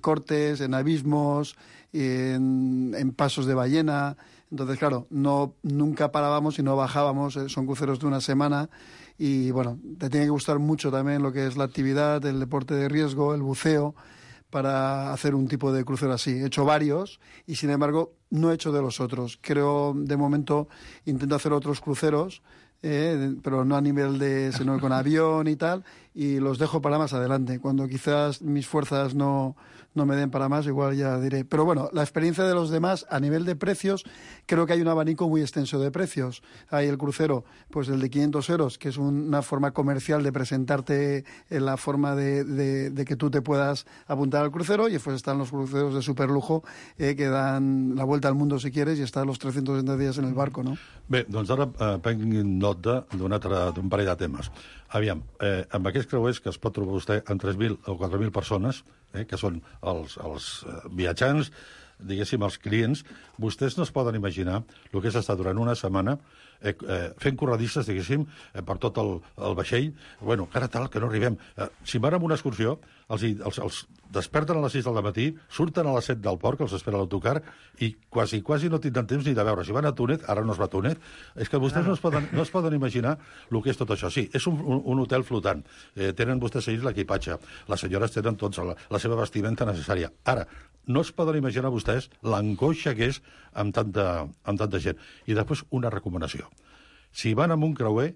cortes, en abismos, en pasos de ballena. Entonces, claro, nunca parábamos y no bajábamos. Son cruceros de una semana y, bueno, te tiene que gustar mucho también lo que es la actividad, el deporte de riesgo, el buceo, para hacer un tipo de crucero así. He hecho varios y, sin embargo, no he hecho de los otros. Creo, de momento, intento hacer otros cruceros, pero no a nivel sino con avión y tal, y los dejo para más adelante. Cuando quizás mis fuerzas no me den para más, igual ya diré. Pero bueno, la experiencia de los demás a nivel de precios, creo que hay un abanico muy extenso de precios. Hay el crucero, pues el de 500 euros, que es una forma comercial de presentarte en la forma de que tú te puedas apuntar al crucero, y después están los cruceros de superlujo que dan la vuelta al mundo si quieres, y están los 360 días en el barco, no? Bé, doncs ara prenguin nota d'un parell de temes. Aviam, amb aquests creuers que es pot trobar vostè en 3.000 o 4.000 persones, que són els viatjants, diguéssim, els clients, vostès no es poden imaginar el que és estar durant una setmana fent corredisses, diguéssim, per tot el vaixell. Bueno, cara tal, que no arribem. Si van amb una excursió, els desperten a les 6 del matí, surten a les 7 del port, que els espera l'autocar, i quasi no tindran temps ni de veure. Si van a Túnez, ara no es va a Túnez, és que vostès no es poden imaginar el que és tot això. Sí, és un hotel flotant. Tenen vostès ells l'equipatge. Les senyores tenen tots la seva vestimenta necessària. Ara, no es poden imaginar vostès l'angoixa que és amb tanta gent. I després una recomanació. Si van amb un creuer,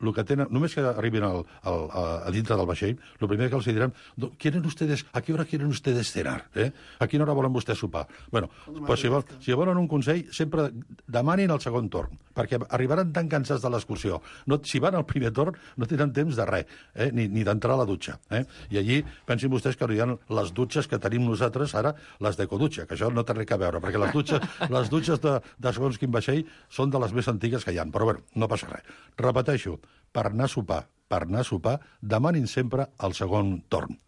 el que tenen, només que arribin a dintre del vaixell, el primer que els diran, ¿a qué hora quieren ustedes cenar? A quina hora volen vostès sopar? Bueno, pues si volen un consell, sempre demanin el segon torn, perquè arribaran tan cansats de l'excursió. Si van al primer torn, no tenen temps de res, ni d'entrar a la dutxa. I allí, pensin vostès que hi ha les dutxes que tenim nosaltres ara, les d'ecodutxa, que això no té res a veure, perquè les dutxes de segons quin vaixell són de les més antigues que hi ha. Però bueno, no passa res. Repeteixo, per anar a sopar, demanin sempre el segon torn.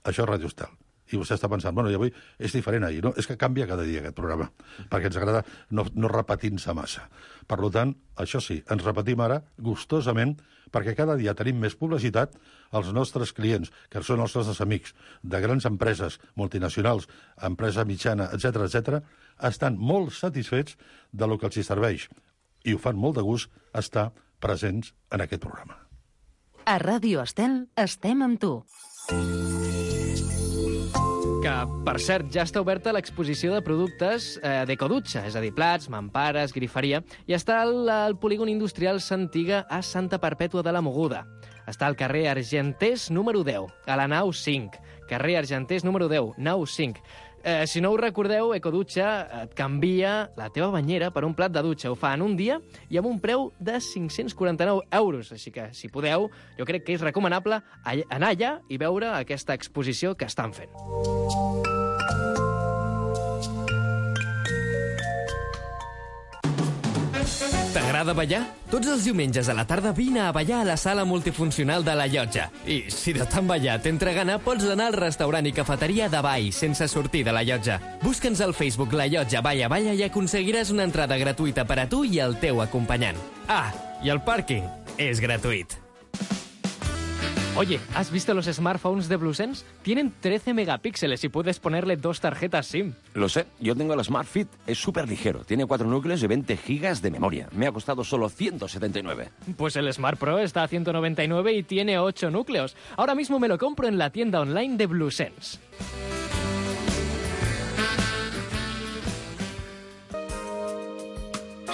Això és Radio Estel. i vostè està pensant, bueno, i avui és diferent ahir, no? És que canvia cada dia aquest programa, perquè ens agrada no repetir-se massa. Per tant, això sí, ens repetim ara gustosament, perquè cada dia tenim més publicitat. Els nostres clients, que són els nostres amics de grans empreses multinacionals, empresa mitjana, etc., estan molt satisfets de lo que els hi serveix i ho fan molt de gust estar presents en aquest programa. A Ràdio Estel estem amb tu. Que, per cert, ja està oberta l'exposició de productes d'Ecodutxa, és a dir, plats, mampares, griferia, i està al polígon industrial Santiga a Santa Perpètua de la Mogoda. Està al carrer Argenters número 10, a la nau 5. Carrer Argenters número 10, nau 5. Si no ho recordeu, Ecodutxa et canvia la teva banyera per un plat de dutxa. Ho fa en un dia i amb un preu de 549 euros. Així que, si podeu, jo crec que és recomanable anar allà i veure aquesta exposició que estan fent. T'agrada ballar? Tots els diumenges a la tarda vine a ballar a la sala multifuncional de la Llotja. I si de tant ballar t'entra gana, pots anar al restaurant i cafeteria de ball sense sortir de la Llotja. Busca'ns al Facebook La Llotja Balla Balla i aconseguiràs una entrada gratuïta per a tu i el teu acompanyant. Ah, i el pàrquing és gratuït. Oye, ¿has visto los smartphones de Bluesense? Tienen 13 megapíxeles y puedes ponerle 2 tarjetas SIM. Lo sé, yo tengo el Smart Fit, es súper ligero, tiene 4 núcleos y 20 gigas de memoria. Me ha costado solo 179. Pues el Smart Pro está a 199 y tiene 8 núcleos. Ahora mismo me lo compro en la tienda online de Bluesense.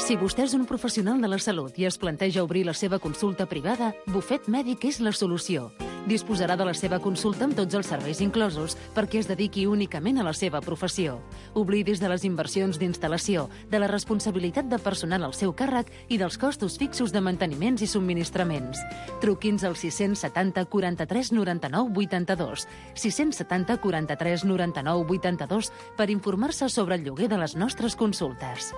Si vostè és un professional de la salut i es planteja obrir la seva consulta privada, Bufet Mèdic és la solució. Disposarà de la seva consulta amb tots els serveis inclosos perquè es dediqui únicament a la seva professió. Oblidis de les inversions d'instal·lació, de la responsabilitat de personal al seu càrrec i dels costos fixos de manteniments i subministraments. Truqui'ns al 670 43 99 82, 670 43 99 82 per informar-se sobre el lloguer de les nostres consultes.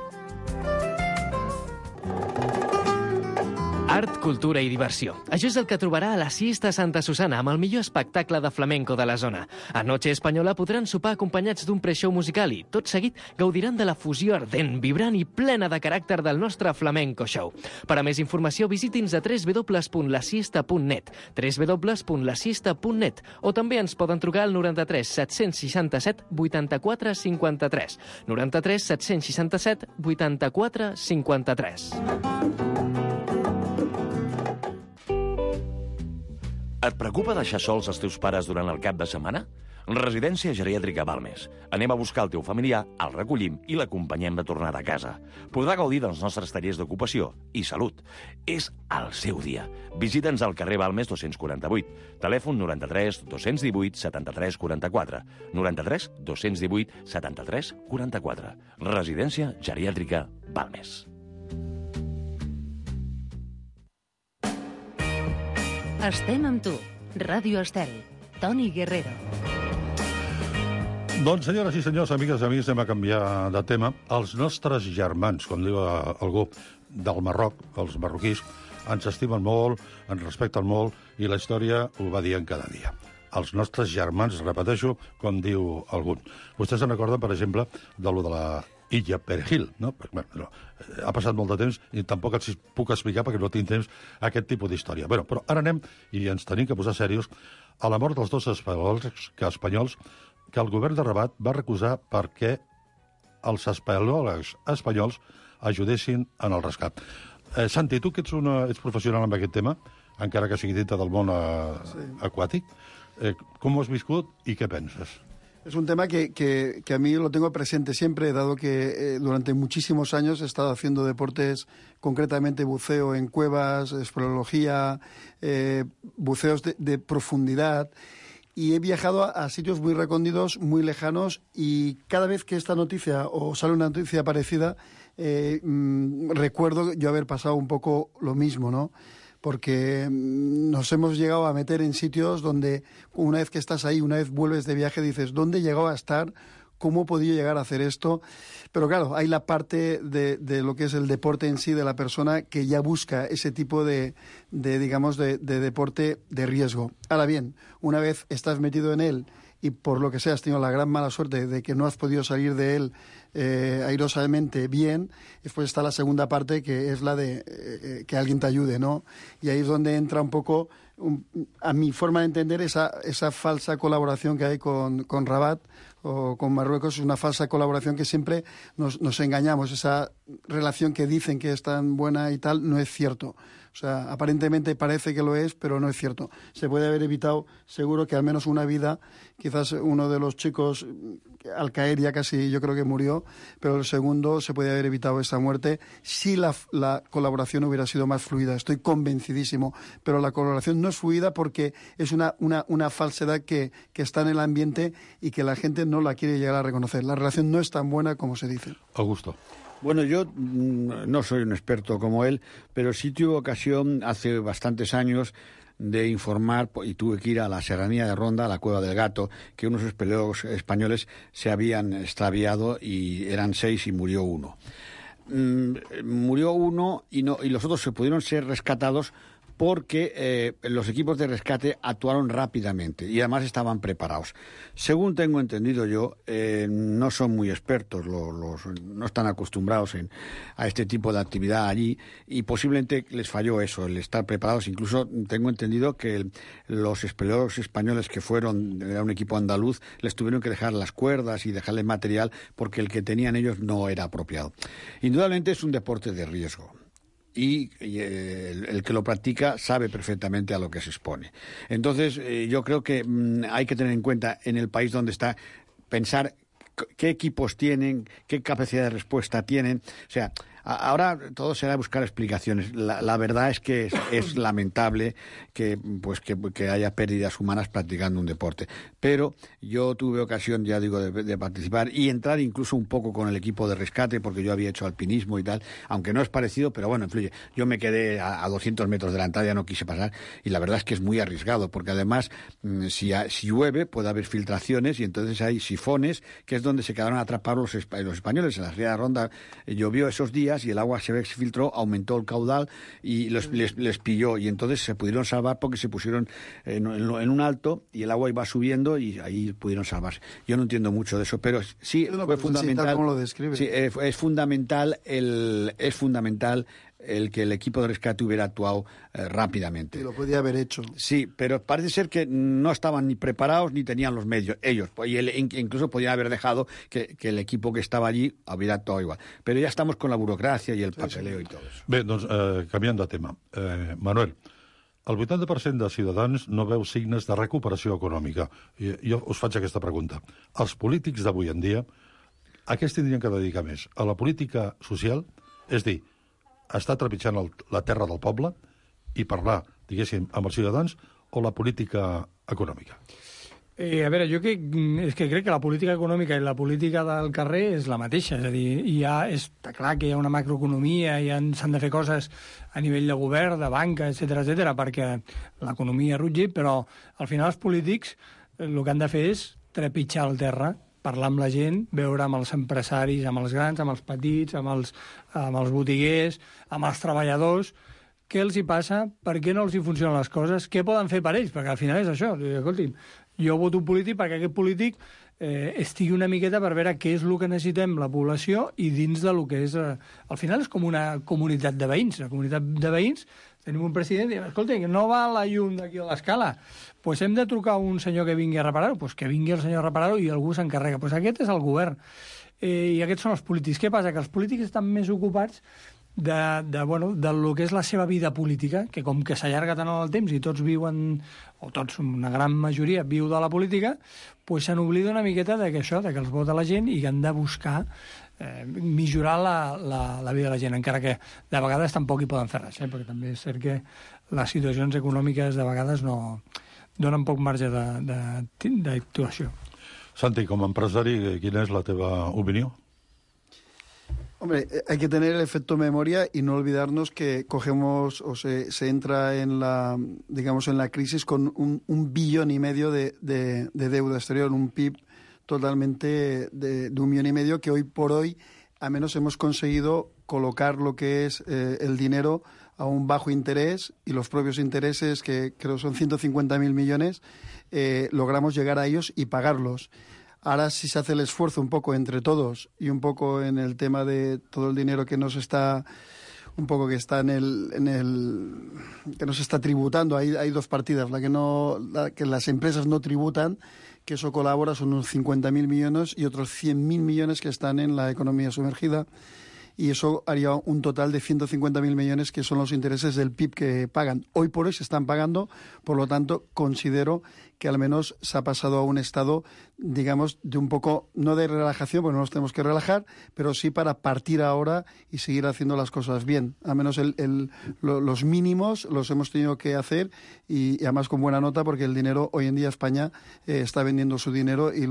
Art, cultura i diversió. Això és el que trobarà a la Siesta Santa Susana amb el millor espectacle de flamenco de la zona. A Noche Espanyola podran sopar acompanyats d'un pre-show musical i, tot seguit, gaudiran de la fusió ardent, vibrant i plena de caràcter del nostre flamenco show. Per a més informació, visiti'ns a www.lasiesta.net, www.lasiesta.net, o també ens poden trucar al 93 767 84 53, 93 767 84 53. Et preocupa deixar sols els teus pares durant el cap de setmana? Residència Geriàtrica Balmes. Anem a buscar el teu familiar, el recollim i l'acompanyem de tornada a casa. Podrà gaudir dels nostres tallers d'ocupació i salut. És el seu dia. Visita'ns al carrer Balmes 248. Telèfon 93 218 73 44. 93 218 73 44. Residència Geriàtrica Balmes. Estem amb tu. Ràdio Estel. Toni Guerrero. Doncs, senyores i senyors, amigues i amics, anem a canviar de tema. Els nostres germans, com diu algú del Marroc, els marroquís, ens estimen molt, ens respecten molt, i la història ho va dient cada dia. Els nostres germans, repeteixo, com diu algú. Vostès se'n recorden, per exemple, de lo de la Illa Perejil, no? Bueno, ha passat molt de temps i tampoc els puc explicar perquè no tinc temps aquest tipus d'història. Bueno, però ara anem, i ens tenim que posar serios, a la mort dels dos espanyols que el govern de Rabat va recusar perquè els espeleòlegs espanyols ajudessin en el rescat. Santi, tu que ets professional en aquest tema, encara que sigui dintre del món aquàtic, com ho has viscut i què penses? Es un tema que a mí lo tengo presente siempre, dado que durante muchísimos años he estado haciendo deportes, concretamente buceo en cuevas, espeleología, buceos de profundidad, y he viajado a sitios muy recónditos, muy lejanos, y cada vez que esta noticia o sale una noticia parecida, recuerdo yo haber pasado un poco lo mismo, ¿no? Porque nos hemos llegado a meter en sitios donde una vez que estás ahí, una vez vuelves de viaje, dices, ¿dónde he llegado a estar? ¿Cómo he podido llegar a hacer esto? Pero claro, hay la parte de lo que es el deporte en sí de la persona que ya busca ese tipo de deporte de riesgo. Ahora bien, una vez estás metido en él y por lo que sea has tenido la gran mala suerte de que no has podido salir de él airosamente bien, después está la segunda parte, que es la de que alguien te ayude, ¿no? Y ahí es donde entra un poco, a mi forma de entender, esa falsa colaboración que hay con Rabat o con Marruecos. Es una falsa colaboración que siempre nos engañamos. Esa relación que dicen que es tan buena y tal, no es cierto. O sea, aparentemente parece que lo es, pero no es cierto. Se puede haber evitado, seguro, que al menos una vida. Quizás uno de los chicos, al caer ya casi, yo creo que murió, pero el segundo se puede haber evitado esa muerte si la colaboración hubiera sido más fluida. Estoy convencidísimo. Pero la colaboración no es fluida porque es una falsedad que está en el ambiente y que la gente no la quiere llegar a reconocer. La relación no es tan buena como se dice. Augusto. Bueno, yo no soy un experto como él, pero sí tuve ocasión hace bastantes años de informar, y tuve que ir a la serranía de Ronda, a la Cueva del Gato, que unos espeleólogos españoles se habían extraviado y eran 6 y murió uno. Murió uno y los otros se pudieron ser rescatados porque los equipos de rescate actuaron rápidamente y además estaban preparados. Según tengo entendido yo, no son muy expertos, no están acostumbrados a este tipo de actividad allí y posiblemente les falló eso, el estar preparados. Incluso tengo entendido que los espeleólogos españoles que fueron, era un equipo andaluz, les tuvieron que dejar las cuerdas y dejarles material porque el que tenían ellos no era apropiado. Indudablemente es un deporte de riesgo. Y el que lo practica sabe perfectamente a lo que se expone. Entonces, yo creo que hay que tener en cuenta en el país donde está, pensar qué equipos tienen, qué capacidad de respuesta tienen. O sea, ahora todo será buscar explicaciones. La verdad es que es lamentable que haya pérdidas humanas practicando un deporte. Pero yo tuve ocasión, ya digo, de participar y entrar incluso un poco con el equipo de rescate, porque yo había hecho alpinismo y tal, aunque no es parecido, pero bueno, influye. Yo me quedé a 200 metros de la entrada, ya no quise pasar, y la verdad es que es muy arriesgado, porque además, si llueve, puede haber filtraciones, y entonces hay sifones, que es donde se quedaron atrapados los españoles. En la Ría de Ronda llovió esos días y el agua se filtró, aumentó el caudal y les pilló, y entonces se pudieron salvar porque se pusieron en un alto y el agua iba subiendo y ahí pudieron salvarse. Yo no entiendo mucho de eso, pero sí fue fundamental. ¿Cómo lo describe? Sí, es fundamental el que el equipo de rescate hubiera actuado rápidamente. Y lo podía haber hecho. Sí, pero parece ser que no estaban ni preparados ni tenían los medios, ellos. Y incluso podían haber dejado que el equipo que estaba allí hubiera actuado igual. Pero ya estamos con la burocracia i el papeleo i tot això. Bé, doncs, canviant de tema. Manuel, el 80% de ciutadans no veu signes de recuperació econòmica. Jo us faig aquesta pregunta. Els polítics d'avui en dia, a què es tindrien que dedicar més? A la política social? És dir, estar trepitjant la terra del poble i parlar, diguéssim, amb els ciutadans, o la política econòmica? A veure, jo crec que la política econòmica i la política del carrer és la mateixa. És a dir, està clar que hi ha una macroeconomia i s'han de fer coses a nivell de govern, de banca, etc perquè l'economia rutgi, però al final els polítics el que han de fer és trepitjar el terra, parlar amb la gent, veure amb els empresaris, amb els grans, amb els petits, amb els botiguers, amb els treballadors, què els hi passa, per què no els hi funcionen les coses, què poden fer per ells, perquè al final és això. Escolti'm, jo voto un polític perquè aquest polític estigui una miqueta per veure què és el que necessitem la població i dins del que és... Al final és com una comunitat de veïns. La comunitat de veïns, tenim un president i diem, escolta, no va la llum d'aquí a l'escala, doncs hem de trucar a un senyor que vingui a reparar-ho, doncs que vingui el senyor a reparar-ho i algú s'encarrega. Doncs aquest és el govern. I aquests són els polítics. Què passa? Que els polítics estan més ocupats de lo que és la seva vida política, que com que s'allarga tant en el temps i tots viuen, o tots, una gran majoria, viu de la política, doncs se n'oblida una miqueta de que això, de que els vota la gent i que han de buscar millorar la vida de la gent, encara que de vegades tampoc hi poden fer res, perquè també és cert que les situacions econòmiques de vegades no donen poc marge d'actuació. Santi, com a empresari, quina és la teva opinió? Hombre, hay que tener el efecto memoria y no olvidarnos que cogemos o se entra en la crisis con un 1,5 billón de deuda exterior, un PIB totalmente de 1,5 billion que hoy por hoy al menos hemos conseguido colocar lo que es el dinero a un bajo interés y los propios intereses, que creo son 150.000 millones, logramos llegar a ellos y pagarlos. Ahora sí se hace el esfuerzo un poco entre todos y un poco en el tema de todo el dinero que nos está... un poco que está que nos está tributando. Hay dos partidas, la que las empresas no tributan, que eso colabora, son unos 50.000 millones y otros 100.000 millones que están en la economía sumergida, y eso haría un total de 150.000 millones, que son los intereses del PIB que pagan. Hoy por hoy se están pagando, por lo tanto considero que al menos se ha pasado a un estado, digamos, de un poco, no de relajación, porque no nos tenemos que relajar, pero sí para partir ahora y seguir haciendo las cosas bien. Al menos los mínimos los hemos tenido que hacer, y además con buena nota, porque el dinero hoy en día España está vendiendo su dinero y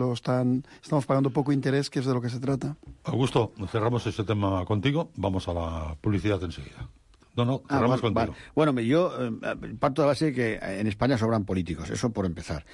estamos pagando poco interés, que es de lo que se trata. Augusto, cerramos este tema contigo. Vamos a la publicidad enseguida. No, cerramos contigo. Vale. Bueno, yo parto de la base de que en España sobran políticos, eso por empezar.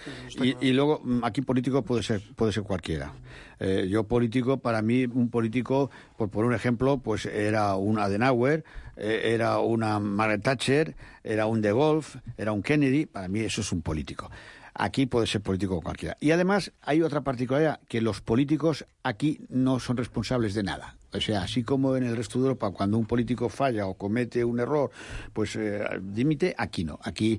Y luego, aquí político puede ser cualquiera. Yo político, para mí, un político, por un ejemplo, pues era un Adenauer, era una Margaret Thatcher, era un De Gaulle, era un Kennedy. Para mí eso es un político. Aquí puede ser político cualquiera. Y además hay otra particularidad, que los políticos aquí no son responsables de nada. O sea, así como en el resto de Europa, cuando un político falla o comete un error, pues dimite, aquí no. Aquí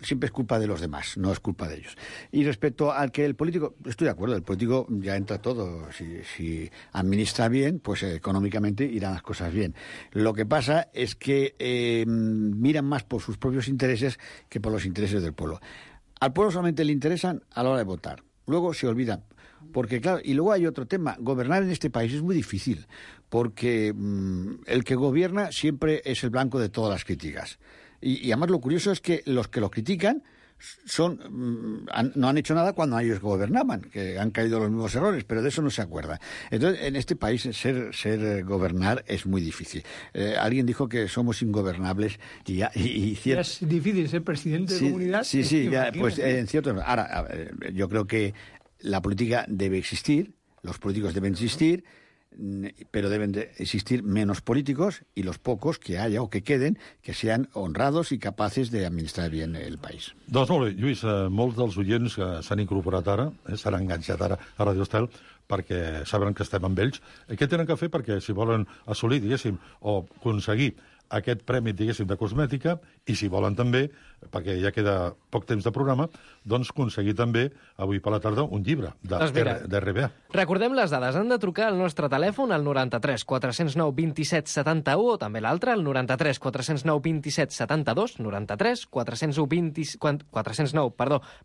siempre es culpa de los demás, no es culpa de ellos. Y respecto al que el político, estoy de acuerdo, el político ya entra todo. Si administra bien, pues económicamente irán las cosas bien. Lo que pasa es que miran más por sus propios intereses que por los intereses del pueblo. Al pueblo solamente le interesan a la hora de votar. Luego se olvidan. Porque, claro, y luego hay otro tema. Gobernar en este país es muy difícil, porque el que gobierna siempre es el blanco de todas las críticas. Y además lo curioso es que los que lo critican no han hecho nada cuando ellos gobernaban, que han caído los mismos errores, pero de eso no se acuerda. Entonces, en este país gobernar es muy difícil. Alguien dijo que somos ingobernables y es difícil ser presidente de comunidad. Sí, ya, pues en cierto. Ahora, yo creo que la política debe existir, los políticos deben existir, pero deben de existir menos políticos, y los pocos que haya o que queden, que sean honrados i capaces d'administrar bien el país. Doncs molt bé, Lluís, molts dels oients que s'han incorporat ara, s'han enganxat ara a Radio Estel, perquè saben que estem amb ells. Què tenen que fer perquè, si volen assolir, diguéssim, o aconseguir aquest premi, diguéssim, de cosmètica, i si volen també, perquè ja queda poc temps de programa, doncs aconseguir també, avui per la tarda, un llibre d'RBA. Recordem les dades. Han de trucar al nostre telèfon al 93 409 27 71, o també l'altre, al 93 409 27 72, 93 409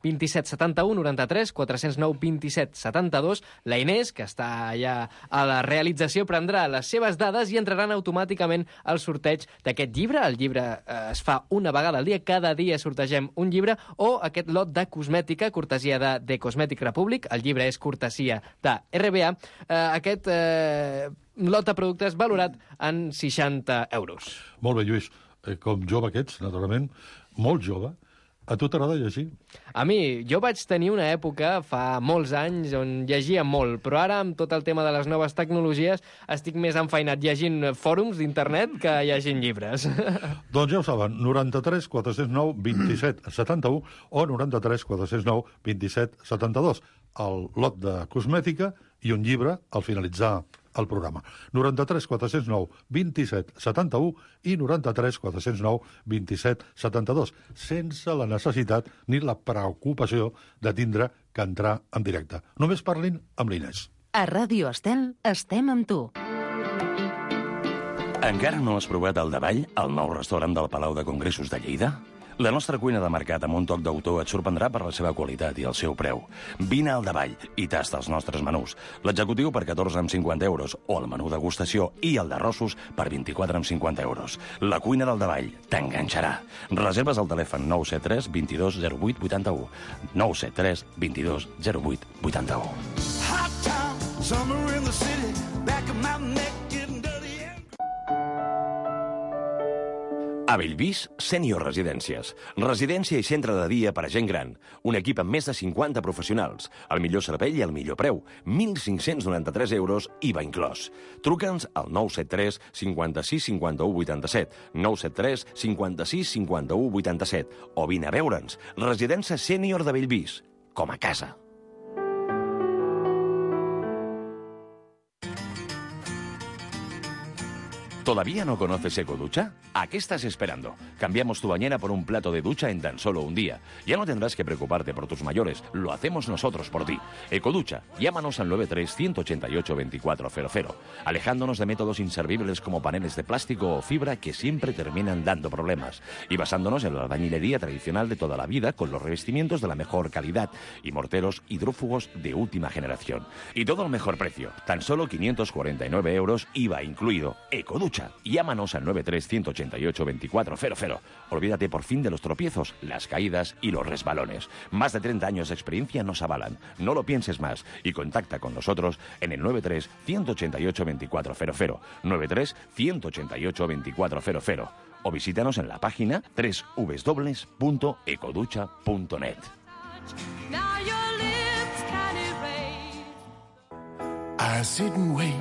27 71, 93 409 27 72. La Inés, que està allà a la realització, prendrà les seves dades i entraran automàticament al sorteig d'aquest llibre. El llibre es fa una vegada al dia, cada dia sortegem un llibre, o aquest lot de cosmètica, cortesia de Cosmetic Republic. El llibre és cortesia de RBA. Aquest lot de productes valorat en 60 euros. Molt bé, Lluís. Com jove que ets, naturalment, molt jove, a tu t'agrada llegir? A mi, jo vaig tenir una època, fa molts anys, on llegia molt, però ara, amb tot el tema de les noves tecnologies, estic més enfeinat llegint fòrums d'internet que llegint llibres. Doncs ja ho saben, 93 409 27 71 o 93 409 27 72. El lot de cosmètica i un llibre al finalitzar el programa. 93 409 27 71 i 93 409 27 72, sense la necessitat ni la preocupació de tindre que entrar en directe. Només parlin amb l'Inés. A Ràdio Estel estem amb tu. Encara no has provat el Davall, el nou restaurant del Palau de Congressos de Lleida? La nostra cuina de mercat amb un toc d'autor et sorprendrà per la seva qualitat i el seu preu. Vine al Davall i tasta els nostres menús. L'executiu per 14,50 euros, o el menú degustació i el d'arrossos per 24,50 euros. La cuina del Davall t'enganxarà. Reserves al telèfon 973 22 08 81. 973 22 08 81. Hot town, summer in the city, back of my neck getting dirty. A Bellvís, Sènior Residències. Residència i centre de dia per a gent gran. Un equip amb més de 50 professionals. El millor servei i el millor preu. 1.593 euros, IVA inclòs. Truca'ns al 973 56 51 87, 973 56 51 87, o vine a veure'ns. Residència Sènior de Bellvís. Com a casa. ¿Todavía no conoces Ecoducha? ¿A qué estás esperando? Cambiamos tu bañera por un plato de ducha en tan solo un día. Ya no tendrás que preocuparte por tus mayores, lo hacemos nosotros por ti. Ecoducha, llámanos al 93-188-2400, alejándonos de métodos inservibles como paneles de plástico o fibra que siempre terminan dando problemas, y basándonos en la albañilería tradicional de toda la vida con los revestimientos de la mejor calidad y morteros hidrófugos de última generación. Y todo al mejor precio, tan solo 549 euros, IVA incluido. Ecoducha. Llámanos al 93-188-2400. Olvídate por fin de los tropiezos, las caídas y los resbalones. Más de 30 años de experiencia nos avalan. No lo pienses más y contacta con nosotros en el 93-188-2400, 93-188-2400, o visítanos en la página www.ecoducha.net. I sit and wait.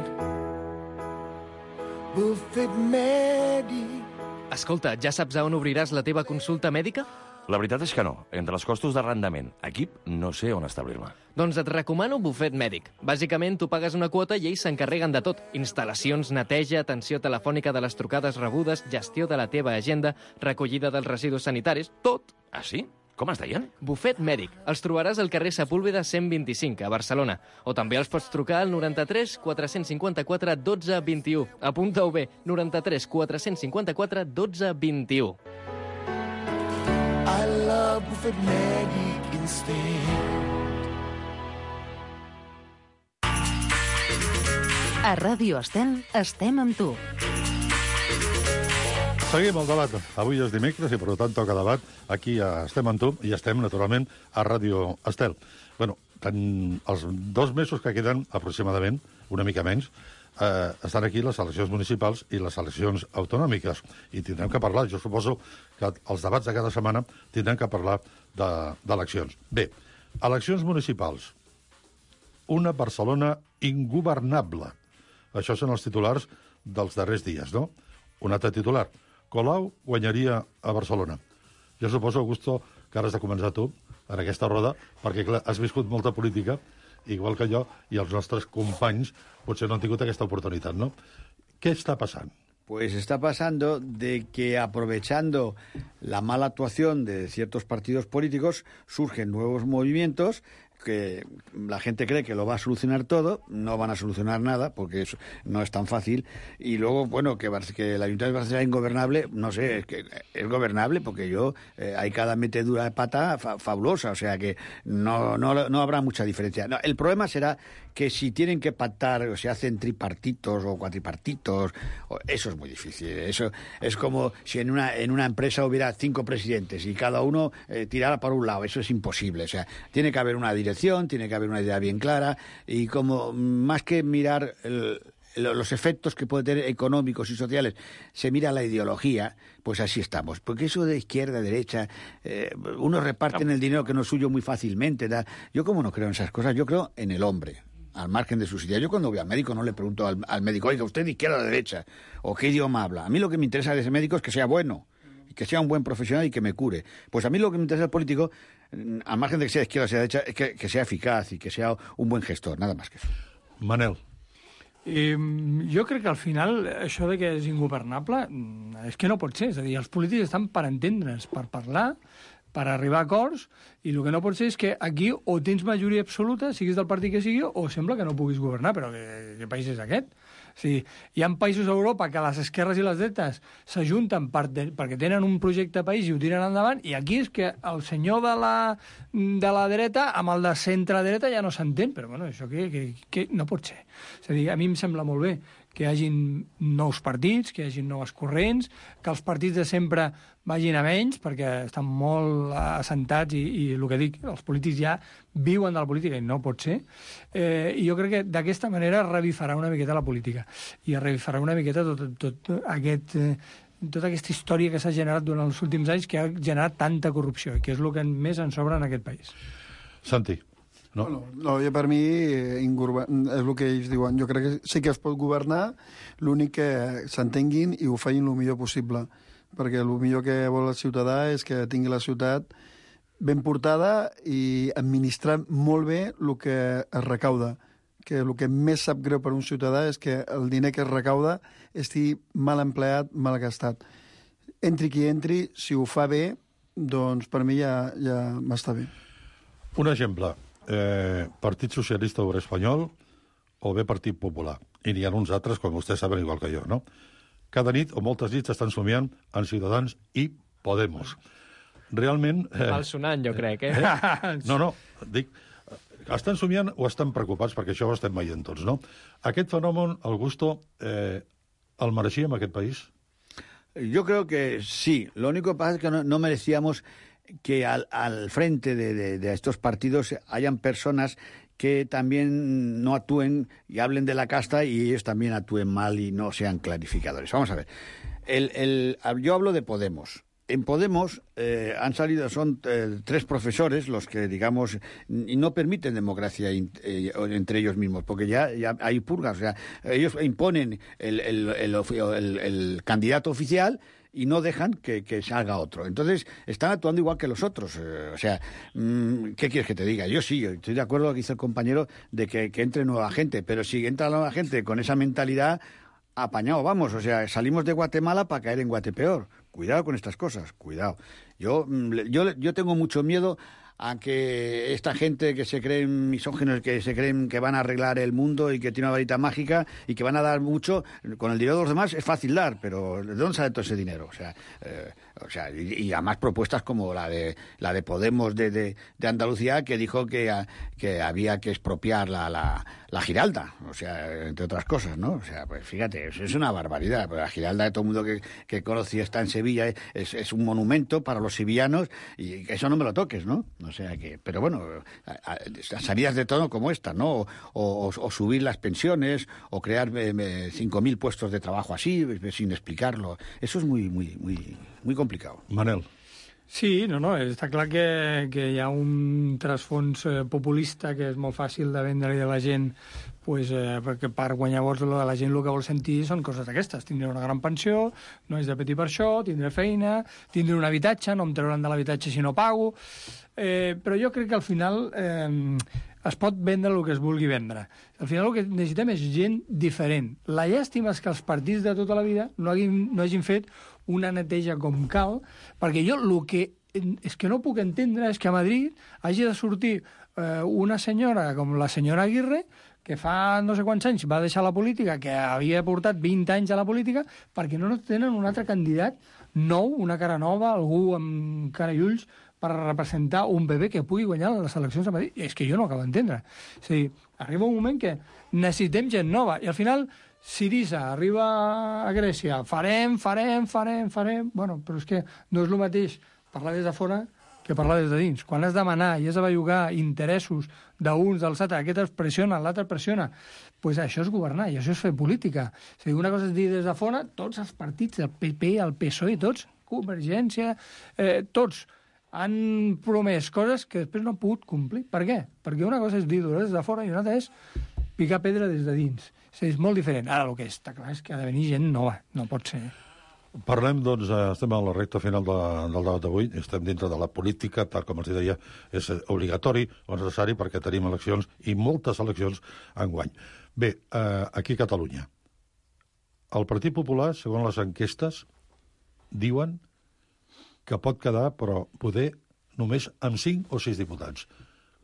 Buffet mèdic. Escolta, ja saps a on obriràs la teva consulta mèdica? La veritat és que no. Entre els costos d'arrendament, equip, no sé on establir-me. Doncs et recomano Buffet Mèdic. Bàsicament, tu pagues una quota i ells s'encarreguen de tot. Instal·lacions, neteja, atenció telefònica de les trucades rebudes, gestió de la teva agenda, recollida dels residus sanitaris, tot. Ah, sí? Com es deien? Buffet Mèdic. Els trobaràs al carrer Sepúlveda 125, a Barcelona. O també els pots trucar al 93 454 12 21. Apunta-ho bé, 93 454 12 21. I love Buffet Mèdic instead. A Ràdio Estel estem amb tu. Seguim el debat. Avui és dimecres i, per tant, toca debat. Aquí estem amb tu i estem, naturalment, a Ràdio Estel. Bueno, els 2 mesos que queden, aproximadament, una mica menys, estan aquí les eleccions municipals i les eleccions autonòmiques. I tindrem que parlar, jo suposo que els debats de cada setmana tindrem que parlar d'eleccions. Bé, eleccions municipals. Una Barcelona ingovernable. Això són els titulars dels darrers dies, no? Un altre titular. Colau guanyaria a Barcelona. Jo suposo, Augusto, que ara has de començar tu en aquesta roda, perquè clar, has viscut molta política, igual que jo, i els nostres companys potser no han tingut aquesta oportunitat, ¿no? ¿Qué está pasando? Pues está pasando de que, aprovechando la mala actuación de ciertos partidos políticos, surgen nuevos movimientos que la gente cree que lo va a solucionar todo, no van a solucionar nada, porque eso no es tan fácil, y luego, bueno, que el Ayuntamiento de Barcelona sea ingobernable, no sé, es que es gobernable, porque hay cada metedura de pata fabulosa, o sea que no habrá mucha diferencia. No, el problema será que si tienen que pactar, o se hacen tripartitos o cuatripartitos, eso es muy difícil. Eso es como si en una empresa hubiera 5 presidentes y cada uno tirara por un lado. Eso es imposible. O sea, tiene que haber una dirección, tiene que haber una idea bien clara, y como más que mirar los efectos que puede tener económicos y sociales, se mira la ideología, pues así estamos. Porque eso de izquierda, derecha, unos reparten el dinero que no es suyo muy fácilmente. Yo como no creo en esas cosas, yo creo en el hombre, al margen de sus ideas. Yo cuando voy al médico no le pregunto al médico, oiga, ¿usted de izquierda o de derecha? ¿O qué idioma habla? A mí lo que me interesa de ese médico es que sea bueno, que sea un buen profesional y que me cure. Pues a mí lo que me interesa del político, al margen de que sea de izquierda o sea de derecha, es que sea eficaz y que sea un buen gestor, nada más que eso. Manel. Jo crec que al final això de que és ingovernable és que no pot ser. És a dir, els polítics estan per entendre's, per parlar, per arribar a acords, i el que no pot ser és que aquí o tens majoria absoluta, siguis del partit que sigui, o sembla que no puguis governar. Però què país és aquest? O sigui, hi ha països a Europa que les esquerres i les dretes s'ajunten perquè tenen un projecte de país i ho tiren endavant, i aquí és que el senyor de la dreta amb el de centre-dreta ja no s'entén. Però bueno, això que no pot ser. És a dir, a mi em sembla molt bé que hi hagin nous partits, que hi hagin noves corrents, que els partits de sempre vagin a menys, perquè estan molt assentats i el que dic, els polítics ja viuen de la política i no pot ser. I jo crec que d'aquesta manera revifarà una miqueta la política i revifarà una miqueta tot aquest tota aquesta història que s'ha generat durant els últims anys, que ha generat tanta corrupció, i que és el que més ens sobra en aquest país. Santi. No, jo per mi és el que ells diuen. Jo crec que sí que es pot governar, l'únic que s'entenguin i ho facin el millor possible, perquè el millor que vol el ciutadà és que tingui la ciutat ben portada i administrar molt bé el que es recauda, que el que més sap greu per un ciutadà és que el diner que es recauda estigui mal empleat, mal gastat. Entri qui entri, si ho fa bé, doncs per mi ja m'està bé. Un exemple. Partit Socialista Obrer Espanyol o bé Partit Popular. I n'hi ha uns altres, com vostès saben, igual que jo, no? Cada nit, o moltes nits, estan somiant en Ciutadans i Podemos. Realment... Malsonant, jo crec, No, dic... Estan somiant o estan preocupats, perquè això ho estem veient tots, no? Aquest fenomen, Augusto, el mereixíem aquest país? Yo creo que sí. Lo único que pasa es que no merecíamos que al frente de estos partidos hayan personas que también no actúen y hablen de la casta y ellos también actúen mal y no sean clarificadores. Vamos a ver. Yo hablo de Podemos. En Podemos han salido, son 3 profesores los que, digamos, y no permiten democracia entre ellos mismos, porque ya hay purgas. O sea, ellos imponen el candidato oficial y no dejan que salga otro. Entonces, están actuando igual que los otros. O sea, ¿qué quieres que te diga? Yo sí, estoy de acuerdo con lo que dice el compañero de que entre nueva gente, pero si entra nueva gente con esa mentalidad, apañado vamos. O sea, salimos de Guatemala para caer en Guatepeor. Cuidado con estas cosas, cuidado. Yo tengo mucho miedo a que esta gente que se creen misóginos, que se creen que van a arreglar el mundo y que tiene una varita mágica y que van a dar mucho, con el dinero de los demás es fácil dar, pero ¿de dónde sale todo ese dinero? O sea, y además propuestas como la de Podemos de Andalucía, que dijo que había que expropiar la Giralda, o sea, entre otras cosas, ¿no? O sea, pues fíjate, es una barbaridad. Pero la Giralda, de todo el mundo que conoce, está en Sevilla, es un monumento para los sevillanos, y eso no me lo toques, ¿no? O sea que, pero bueno, salidas de tono como esta, ¿no? O subir las pensiones, o crear 5.000 puestos de trabajo así, sin explicarlo. Eso es muy complicado. Manel. Sí, no, està clar que hi ha un trasfons populista que és molt fàcil de vendre-li a la gent, pues, perquè per guanyar vots la gent el que vol sentir són coses d'aquestes. Tindré una gran pensió, no és de patir per això, tindré feina, tindré un habitatge, no em trauran de l'habitatge si no pago. Però jo crec que al final es pot vendre el que es vulgui vendre. Al final el que necessitem és gent diferent. La llàstima és que els partits de tota la vida no hagin fet una neteja com cal, perquè jo el que és que no puc entendre és que a Madrid hagi de sortir una senyora com la senyora Aguirre, que fa no sé quants anys va deixar la política, que havia portat 20 anys a la política, perquè no tenen un altre candidat nou, una cara nova, algú amb cara i ulls, per representar un bebè que pugui guanyar les eleccions a Madrid. És que jo no acabo d'entendre. És a dir, arriba un moment que necessitem gent nova, i al final Sirisa arriba a Grècia, farem... Bueno, però és que no és el mateix parlar des de fora que parlar des de dins. Quan has de manar i has de bellugar interessos d'uns, dels altres, aquest es pressiona, l'altre pressiona, doncs això és governar i això és fer política. És a dir, una cosa és dir des de fora, tots els partits, el PP, el PSOE, tots, Convergència, tots han promès coses que després no han pogut complir. Per què? Perquè una cosa és dir des de fora i una altra és picar pedra des de dins. És molt diferent. Ara el que està clar és que ha de venir gent nova, no pot ser. Parlem, doncs, estem a la recta final del debat d'avui, estem dintre de la política, tal com els deia, és obligatori o necessari perquè tenim eleccions i moltes eleccions enguany. Bé, aquí a Catalunya, el Partit Popular, segons les enquestes, diuen que pot quedar, però poder només amb 5 o 6 diputats.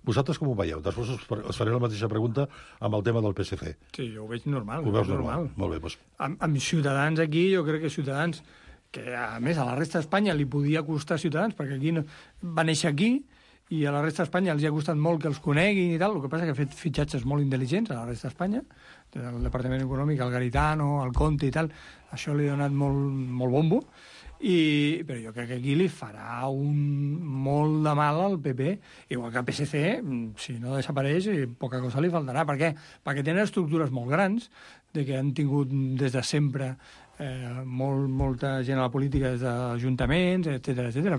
Vosaltres com ho veieu? Després us faré la mateixa pregunta amb el tema del PSC. Sí, jo ho veig normal. Ho veus normal? Molt bé, doncs. Amb Ciutadans aquí, jo crec que Ciutadans, que a més a la resta d'Espanya li podia costar Ciutadans, perquè aquí va néixer aquí, i a la resta d'Espanya els ha costat molt que els coneguin i tal, el que passa que ha fet fitxatges molt intel·ligents a la resta d'Espanya, el Departament Econòmic, el Garitano, el Conte i tal, això li ha donat molt bombo, però jo crec que aquí li farà molt de mal al PP, igual que al PSC, si no desapareix, poca cosa li faltarà. Per què? Perquè tenen estructures molt grans, que han tingut des de sempre molta gent a la política des d'ajuntaments, etc.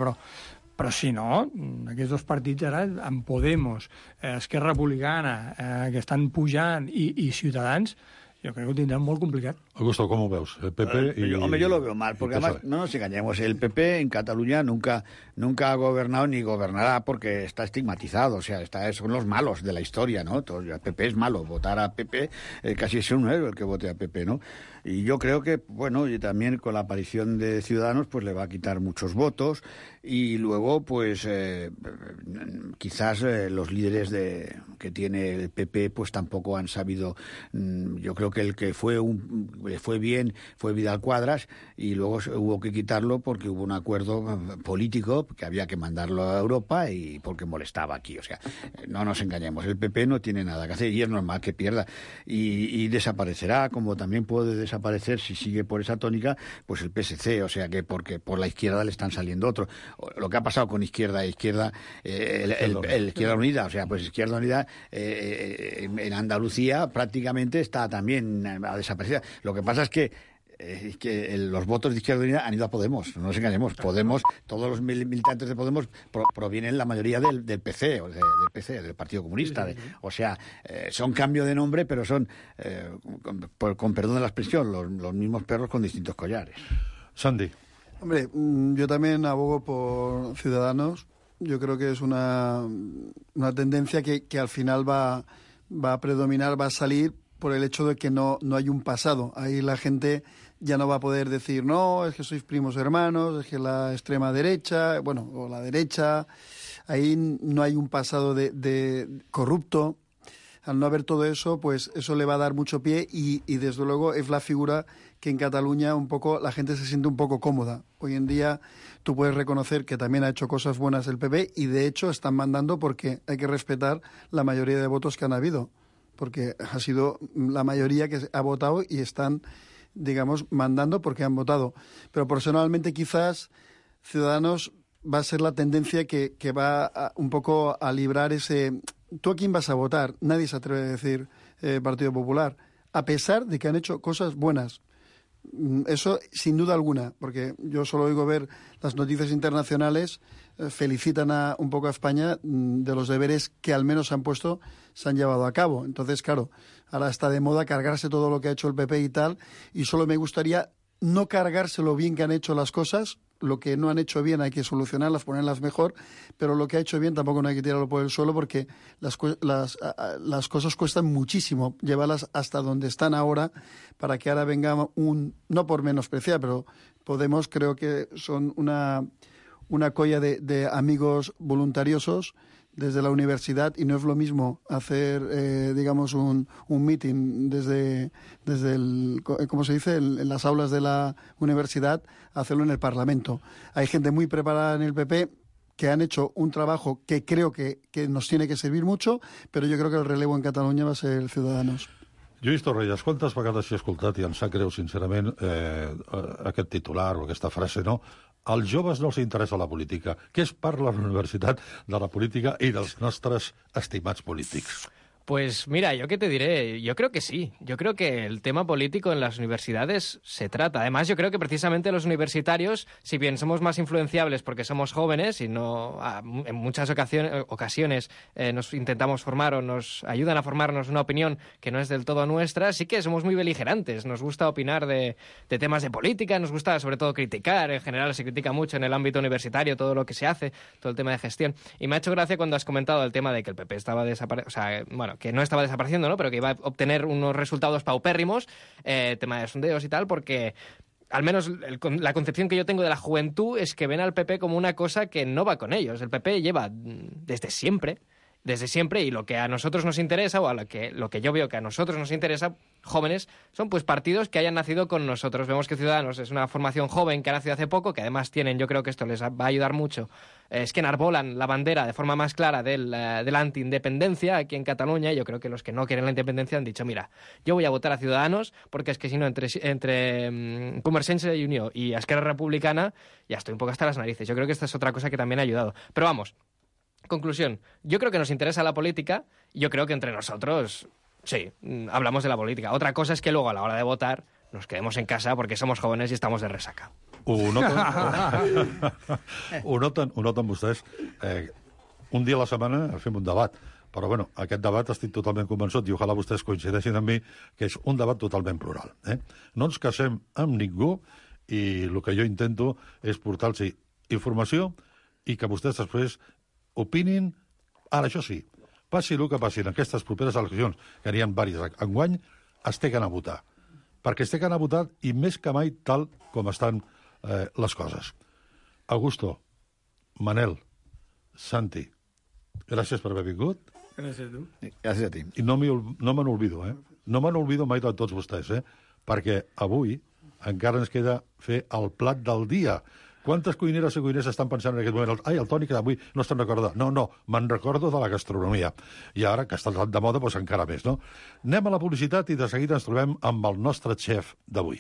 Però si no, aquests dos partits ara, amb Podemos, Esquerra Republicana, que estan pujant, i Ciutadans, yo creo que lo tendrán muy complicado. Augusto, ¿cómo ves? El PP y... Hombre, yo lo veo mal, porque además, no nos engañemos, el PP en Cataluña nunca ha gobernado ni gobernará porque está estigmatizado, o sea, son los malos de la historia, ¿no? El PP es malo, votar a PP casi es un héroe el que vote a PP, ¿no? Y yo creo que, bueno, y también con la aparición de Ciudadanos, pues le va a quitar muchos votos, y luego, pues, quizás los líderes que tiene el PP, pues tampoco han sabido. Yo creo que el que fue bien fue Vidal Quadras, y luego hubo que quitarlo porque hubo un acuerdo político que había que mandarlo a Europa y porque molestaba aquí. O sea, no nos engañemos, el PP no tiene nada que hacer y es normal que pierda, y desaparecerá, como también puede desaparecer, si sigue por esa tónica, pues el PSC, o sea que porque por la izquierda le están saliendo otros. Lo que ha pasado con Izquierda Izquierda Unida, o sea, pues Izquierda Unida en Andalucía prácticamente está también a desaparecer. Lo que pasa es que los votos de Izquierda Unida han ido a Podemos, no nos engañemos. Podemos, todos los militantes de Podemos provienen la mayoría del PC, o del PC, del Partido Comunista. O sea, son cambio de nombre, pero son, con perdón de la expresión, los mismos perros con distintos collares. Sandy. Hombre, yo también abogo por Ciudadanos. Yo creo que es una tendencia que al final va a predominar, va a salir por el hecho de que no hay un pasado. Ahí la gente ya no va a poder decir, no, es que sois primos hermanos, es que la extrema derecha, bueno, o la derecha, ahí no hay un pasado de corrupto. Al no haber todo eso, pues eso le va a dar mucho pie y desde luego es la figura que en Cataluña un poco la gente se siente un poco cómoda. Hoy en día tú puedes reconocer que también ha hecho cosas buenas el PP y de hecho están mandando porque hay que respetar la mayoría de votos que han habido, porque ha sido la mayoría que ha votado y están, digamos, mandando porque han votado. Pero personalmente quizás Ciudadanos va a ser la tendencia que va un poco a librar ese... ¿Tú a quién vas a votar? Nadie se atreve a decir Partido Popular, a pesar de que han hecho cosas buenas. Eso sin duda alguna, porque yo solo oigo ver las noticias internacionales, felicitan un poco a España de los deberes que al menos se han llevado a cabo. Entonces, claro, ahora está de moda cargarse todo lo que ha hecho el PP y tal, y solo me gustaría no cargarse lo bien que han hecho las cosas. Lo que no han hecho bien hay que solucionarlas, ponerlas mejor, pero lo que ha hecho bien tampoco no hay que tirarlo por el suelo porque las cosas cuestan muchísimo llevarlas hasta donde están ahora para que ahora venga no por menospreciar, pero Podemos creo que son una colla de amigos voluntariosos desde la universidad y no es lo mismo hacer, digamos, un meeting desde ¿cómo se dice?, en las aulas de la universidad, hacerlo en el Parlamento. Hay gente muy preparada en el PP que han hecho un trabajo que creo que nos tiene que servir mucho, però jo crec que el relevo en Catalunya va ser el Ciudadanos. Lluís Torrelles, quantes vegades he escoltat, i em sap greu, sincerament, aquest titular o aquesta frase, no? Als joves no els interessa la política. Què es parla a la universitat de la política i dels nostres estimats polítics? Pues mira, ¿yo qué te diré? Yo creo que sí. Yo creo que el tema político en las universidades se trata. Además, yo creo que precisamente los universitarios, si bien somos más influenciables porque somos jóvenes y no en muchas ocasiones nos intentamos formar o nos ayudan a formarnos una opinión que no es del todo nuestra, sí que somos muy beligerantes. Nos gusta opinar de temas de política, nos gusta sobre todo criticar. En general se critica mucho en el ámbito universitario todo lo que se hace, todo el tema de gestión. Y me ha hecho gracia cuando has comentado el tema de que el PP estaba desapareciendo, o sea, bueno, que no estaba desapareciendo, ¿no? Pero que iba a obtener unos resultados paupérrimos, tema de sondeos y tal, porque al menos la concepción que yo tengo de la juventud es que ven al PP como una cosa que no va con ellos. El PP lleva desde siempre, y lo que a nosotros nos interesa, o lo que yo veo que a nosotros nos interesa, jóvenes, son pues partidos que hayan nacido con nosotros. Vemos que Ciudadanos es una formación joven que ha nacido hace poco, que además tienen, yo creo que esto les va a ayudar mucho, es que enarbolan la bandera de forma más clara de la anti-independencia aquí en Cataluña, y yo creo que los que no quieren la independencia han dicho, mira, yo voy a votar a Ciudadanos, porque es que si no, entre Convergència i Unió y Esquerra Republicana, ya estoy un poco hasta las narices. Yo creo que esta es otra cosa que también ha ayudado. Pero vamos, conclusión, yo creo que nos interesa la política, y yo creo que entre nosotros, sí, hablamos de la política. Otra cosa es que luego a la hora de votar nos quedemos en casa porque somos jóvenes y estamos de resaca. Ho noten vostès. Un dia a la setmana fem un debat, però bueno, aquest debat estic totalment convençut, i ojalà vostès coincideixin amb mi, que és un debat totalment plural. No ens casem amb ningú, i el que jo intento és portar-los informació i que vostès després opinin. Ara, això sí, passi el que passi en aquestes properes eleccions, que n'hi ha diverses enguany, es té que anar a votar. Perquè es té que anar a votar, i més que mai tal com estan les coses. Augusto, Manel, Santi, gràcies per haver vingut. Gràcies a tu. Gràcies a ti. I no me n'olvido, No me n'olvido mai de tots vostès, perquè avui encara ens queda fer el plat del dia. Quantes cuineres i cuiners estan pensant en aquest moment? Ai, el Toni, que avui no estan recordant. No, me'n recordo de la gastronomia. I ara, que està de moda, doncs encara més, no? Anem a la publicitat i de seguida ens trobem amb el nostre xef d'avui.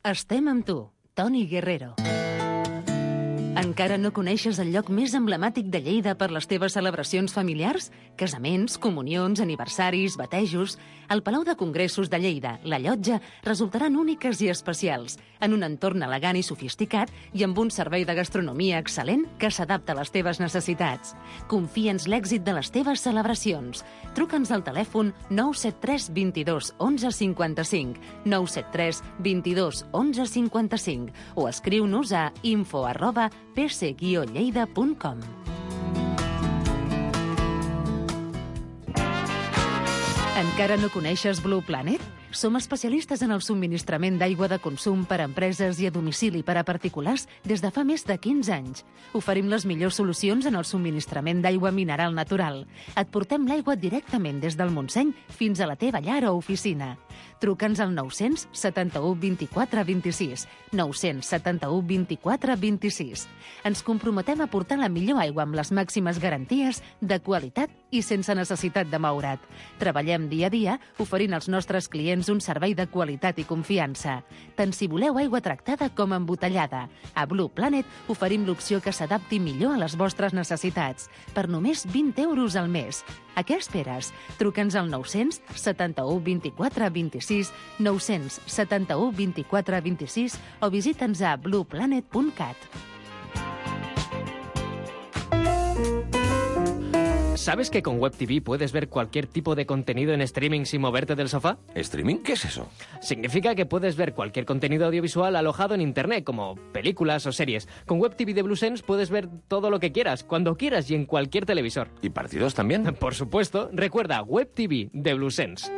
Estem amb tu, Toni Guerrero. Encara no coneixes el lloc més emblemàtic de Lleida per les teves celebracions familiars? Casaments, comunions, aniversaris, batejos... El Palau de Congressos de Lleida, la Llotja, resultaran úniques i especials, en un entorn elegant i sofisticat i amb un servei de gastronomia excel·lent que s'adapta a les teves necessitats. Confia'ns l'èxit de les teves celebracions. Truca'ns al telèfon 973 22 11 55, 973 22 11 55 o escriu-nos a info@pc-lleida.com. Encara no coneixes Blue Planet? Som especialistes en el subministrament d'aigua de consum per a empreses i a domicili per a particulars des de fa més de 15 anys. Oferim les millors solucions en el subministrament d'aigua mineral natural. Et portem l'aigua directament des del Montseny fins a la teva llar o oficina. Truca'ns al 971 24 26, 971 24 26. Ens comprometem a portar la millor aigua amb les màximes garanties de qualitat i sense necessitat de moure't. Treballem dia a dia oferint als nostres clients un servei de qualitat i confiança. Tant si voleu aigua tractada com embotellada. A Blue Planet oferim l'opció que s'adapti millor a les vostres necessitats, per només 20 euros al mes. A què esperes? Truca'ns al 971 24 26, 971 24 26 o visita'ns a blueplanet.cat. ¿Sabes que con Web TV puedes ver cualquier tipo de contenido en streaming sin moverte del sofá? ¿Streaming? ¿Qué es eso? Significa que puedes ver cualquier contenido audiovisual alojado en Internet, como películas o series. Con Web TV de Bluesense puedes ver todo lo que quieras, cuando quieras y en cualquier televisor. ¿Y partidos también? Por supuesto. Recuerda, Web TV de Bluesense.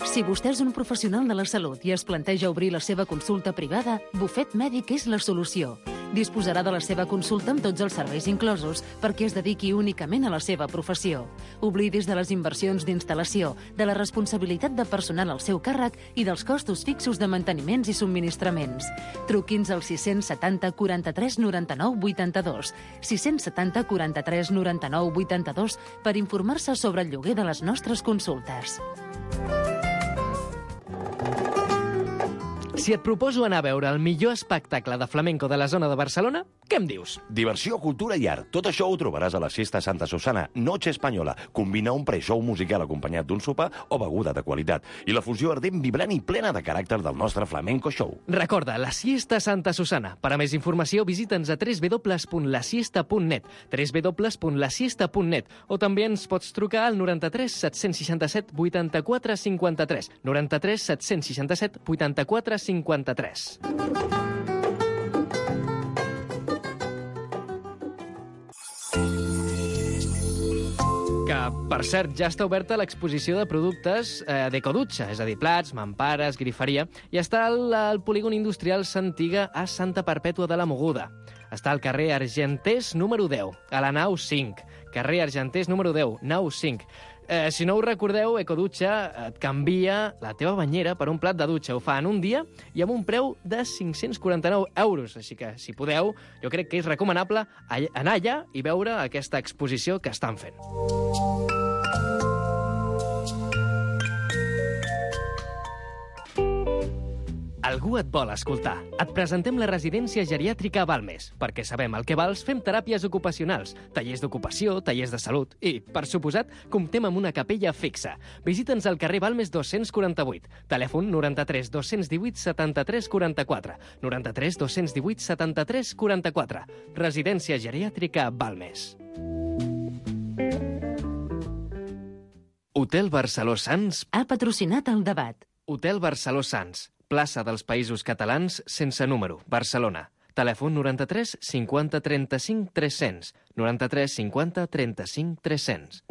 Si vostè és un professional de la salut i es planteja obrir la seva consulta privada, Bufet Mèdic és la solució. Disposarà de la seva consulta amb tots els serveis inclosos perquè es dediqui únicament a la seva professió. Oblidis de les inversions d'instal·lació, de la responsabilitat de personal al seu càrrec i dels costos fixos de manteniments i subministraments. Truqui'ns al 670 43 99 82, 670 43 99 82 per informar-se sobre el lloguer de les nostres consultes. Si et proposo anar a veure el millor espectacle de flamenco de la zona de Barcelona, què em dius? Diversió, cultura i art. Tot això ho trobaràs a la Siesta Santa Susana, Noche Espanyola. Combina un pre-show musical acompanyat d'un sopar o beguda de qualitat. I la fusió ardent, vibrant i plena de caràcter del nostre flamenco show. Recorda, la Siesta Santa Susana. Per a més informació, visita'ns a www.lasiesta.net, www.lasiesta.net, o també ens pots trucar al 93 767 84 53, 93 767 84 53. Que, per cert, ja està oberta l'exposició de productes d'Ecodutxa, és a dir, plats, mampares, griferia, i està al polígon industrial Santiga a Santa Perpètua de la Mogoda. Està al carrer Argentés número 10, a la nau 5. Carrer Argentés número 10, nau 5. Si no ho recordeu, Ecodutxa et canvia la teva banyera per un plat de dutxa. Ho fa en un dia i amb un preu de 549 euros. Així que, si podeu, jo crec que és recomanable anar allà i veure aquesta exposició que estan fent. Algú et vol escoltar. Et presentem la residència geriàtrica Balmes. Perquè sabem el que vals, fem teràpies ocupacionals, tallers d'ocupació, tallers de salut i, per suposat, comptem amb una capella fixa. Visita'ns al carrer Balmes 248. Telèfon 93 218 73 44. 93 218 73 44. Residència geriàtrica Balmes. Hotel Barceló Sants ha patrocinat el debat. Hotel Barceló Sants, plaça dels Països Catalans, sense número, Barcelona. Telèfon 93 50 35 300. 93 50 35 300.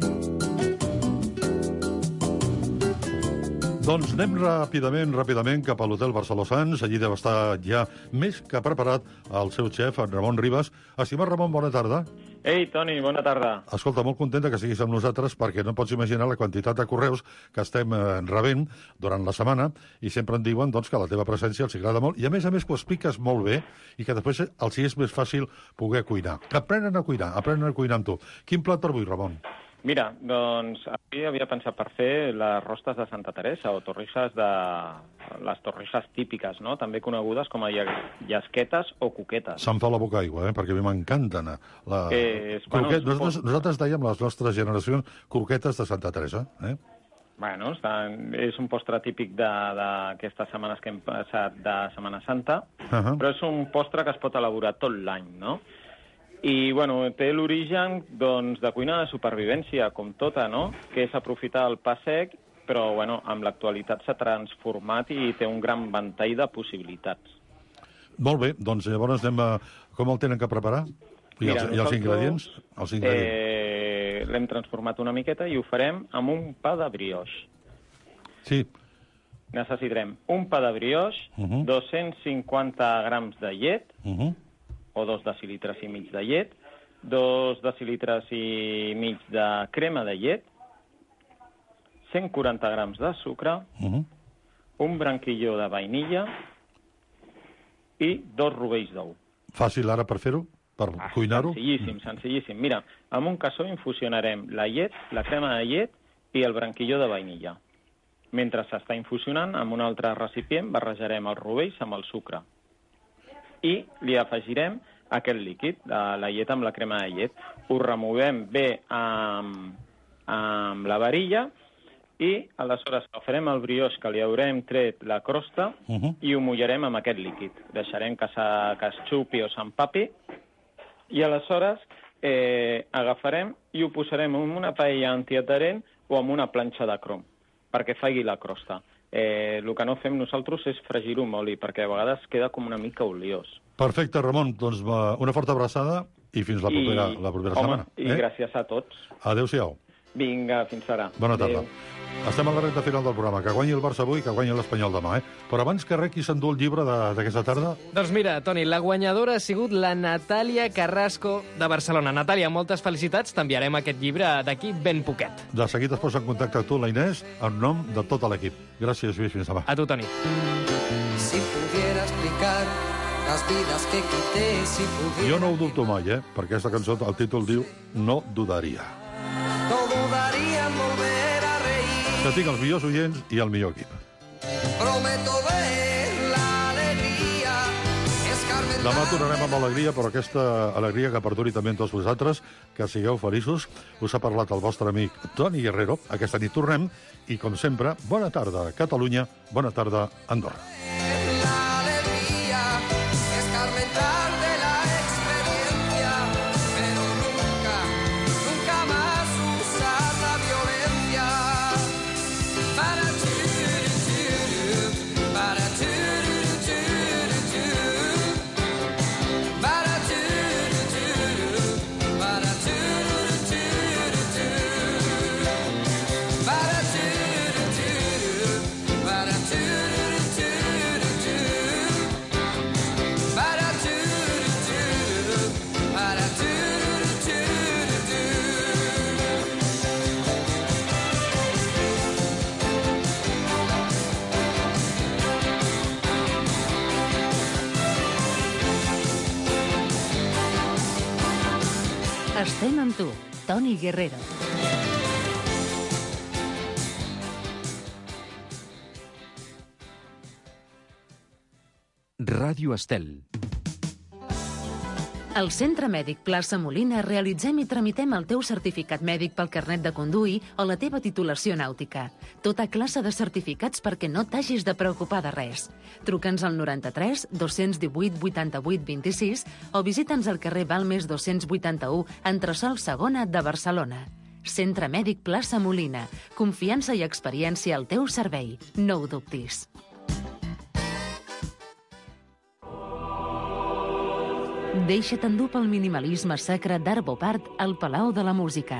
Doncs anem ràpidament cap a l'Hotel Barceló Sants. Allí deu estar ja més que preparat el seu xef, en Ramon Ribas. Estimat Ramon, bona tarda. Ei, Toni, bona tarda. Escolta, molt contenta que siguis amb nosaltres perquè no pots imaginar la quantitat de correus que estem rebent durant la setmana i sempre em diuen doncs, que la teva presència els agrada molt i a més que ho expliques molt bé i que després els és més fàcil poder cuinar. Aprenen a cuinar amb tu. Quin plat per avui, Ramon? Mira, doncs avui havia pensat per fer les rostes de Santa Teresa o les torrixes típiques, no? També conegudes com a llasquetes o coquetes. Se'm fa la boca aigua, perquè a mi m'encanten. Nosaltres dèiem les nostres generacions croquetes de Santa Teresa. Bueno, és un postre típic d'aquestes setmanes que hem passat de Setmana Santa, però és un postre que es pot elaborar tot l'any, no? I, bueno, té l'origen, doncs, de cuina de supervivència, com tota, no? Que és aprofitar el pa sec, però, bueno, amb l'actualitat s'ha transformat i té un gran ventall de possibilitats. Molt bé, doncs llavors anem a... Com el tenen que preparar? I els ingredients? L'hem transformat una miqueta i ho farem amb un pa de brioix. Sí. Necessitarem un pa de brioix, 250 grams de llet, o 2 decilitres i mig de llet, 2 decilitres i mig de crema de llet, 140 grams de sucre, un branquilló de vainilla i 2 rovells d'ou. Fàcil ara per fer-ho? Per cuinar-ho? Senzillíssim. Mira, amb un cassó infusionarem la llet, la crema de llet i el branquilló de vainilla. Mentre s'està infusionant, amb un altre recipient barrejarem els rovells amb el sucre. I li afegirem aquest líquid, la llet amb la crema de llet. Ho removem bé amb la varilla i aleshores farem el brioix que li haurem tret la crosta i ho mullarem amb aquest líquid. Deixarem que es xupi o s'empapi i aleshores agafarem i ho posarem en una paella antiadherent o en una planxa de crom perquè faci la crosta. El que no fem nosaltres és fregir-ho amb oli, perquè a vegades queda com una mica oliós. Perfecte, Ramon. Doncs una forta abraçada i fins la propera setmana. I gràcies a tots. Adéu-siau. Vinga, fins ara. Bona tarda. Estem a la recta final del programa. Que guanyi el Barça avui i que guanyi l'Espanyol demà. Però abans que res, qui s'endú el llibre d'aquesta tarda? Doncs mira, Toni, la guanyadora ha sigut la Natàlia Carrasco de Barcelona. Natàlia, moltes felicitats. T'enviarem aquest llibre d'aquí ben poquet. De seguit es posa en contacte amb tu, la Inés, en nom de tot l'equip. Gràcies, Lluís. Fins demà. A tu, Toni. Si pudiera explicar las vidas que quité, si pudiera... Jo no ho dubto mai, perquè aquesta cançó, el títol diu No dudaria. No dudaría en volver a reír. Que tinc els millors oients i el millor equip. Prometo ver la alegría. Demà tornarem amb alegria, però aquesta alegria que perduri també en tots vosaltres, que sigueu feliços. Us ha parlat el vostre amic Toni Guerrero. Aquesta nit tornem i, com sempre, bona tarda, Catalunya, bona tarda, Andorra. Estem amb tu, Toni Guerrero. Ràdio Estel. Al Centre Mèdic Plaça Molina realitzem i tramitem el teu certificat mèdic pel carnet de conduir o la teva titulació nàutica. Tota classe de certificats perquè no t'hagis de preocupar de res. Truca'ns al 93 218 88 26 o visita'ns al carrer Balmes 281, entresòl Segona de Barcelona. Centre Mèdic Plaça Molina. Confiança i experiència al teu servei. No ho dubtis. Deixa't endur pel minimalisme sacre d'Arvo Part al Palau de la Música.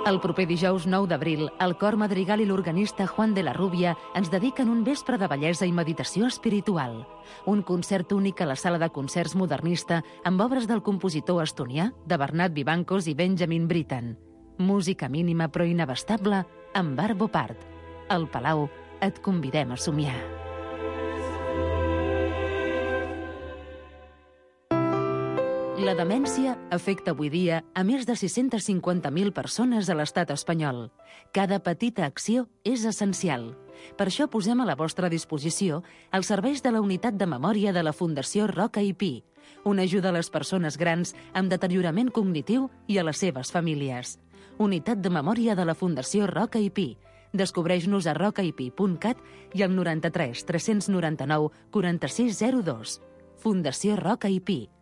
El proper dijous 9 d'abril, el cor madrigal i l'organista Juan de la Rubia ens dediquen un vespre de bellesa i meditació espiritual. Un concert únic a la sala de concerts modernista amb obres del compositor estonià, de Bernat Vivancos i Benjamin Britten. Música mínima però inabastable amb Arvo Part. Al Palau et convidem a somiar. La demència afecta avui dia a més de 650.000 persones a l'estat espanyol. Cada petita acció és essencial. Per això posem a la vostra disposició els serveis de la Unitat de Memòria de la Fundació Roca i Pi, una ajuda a les persones grans amb deteriorament cognitiu i a les seves famílies. Unitat de Memòria de la Fundació Roca i Pi. Descobreix-nos a rocaipi.cat i al 93 399 4602. Fundació Roca i Pi.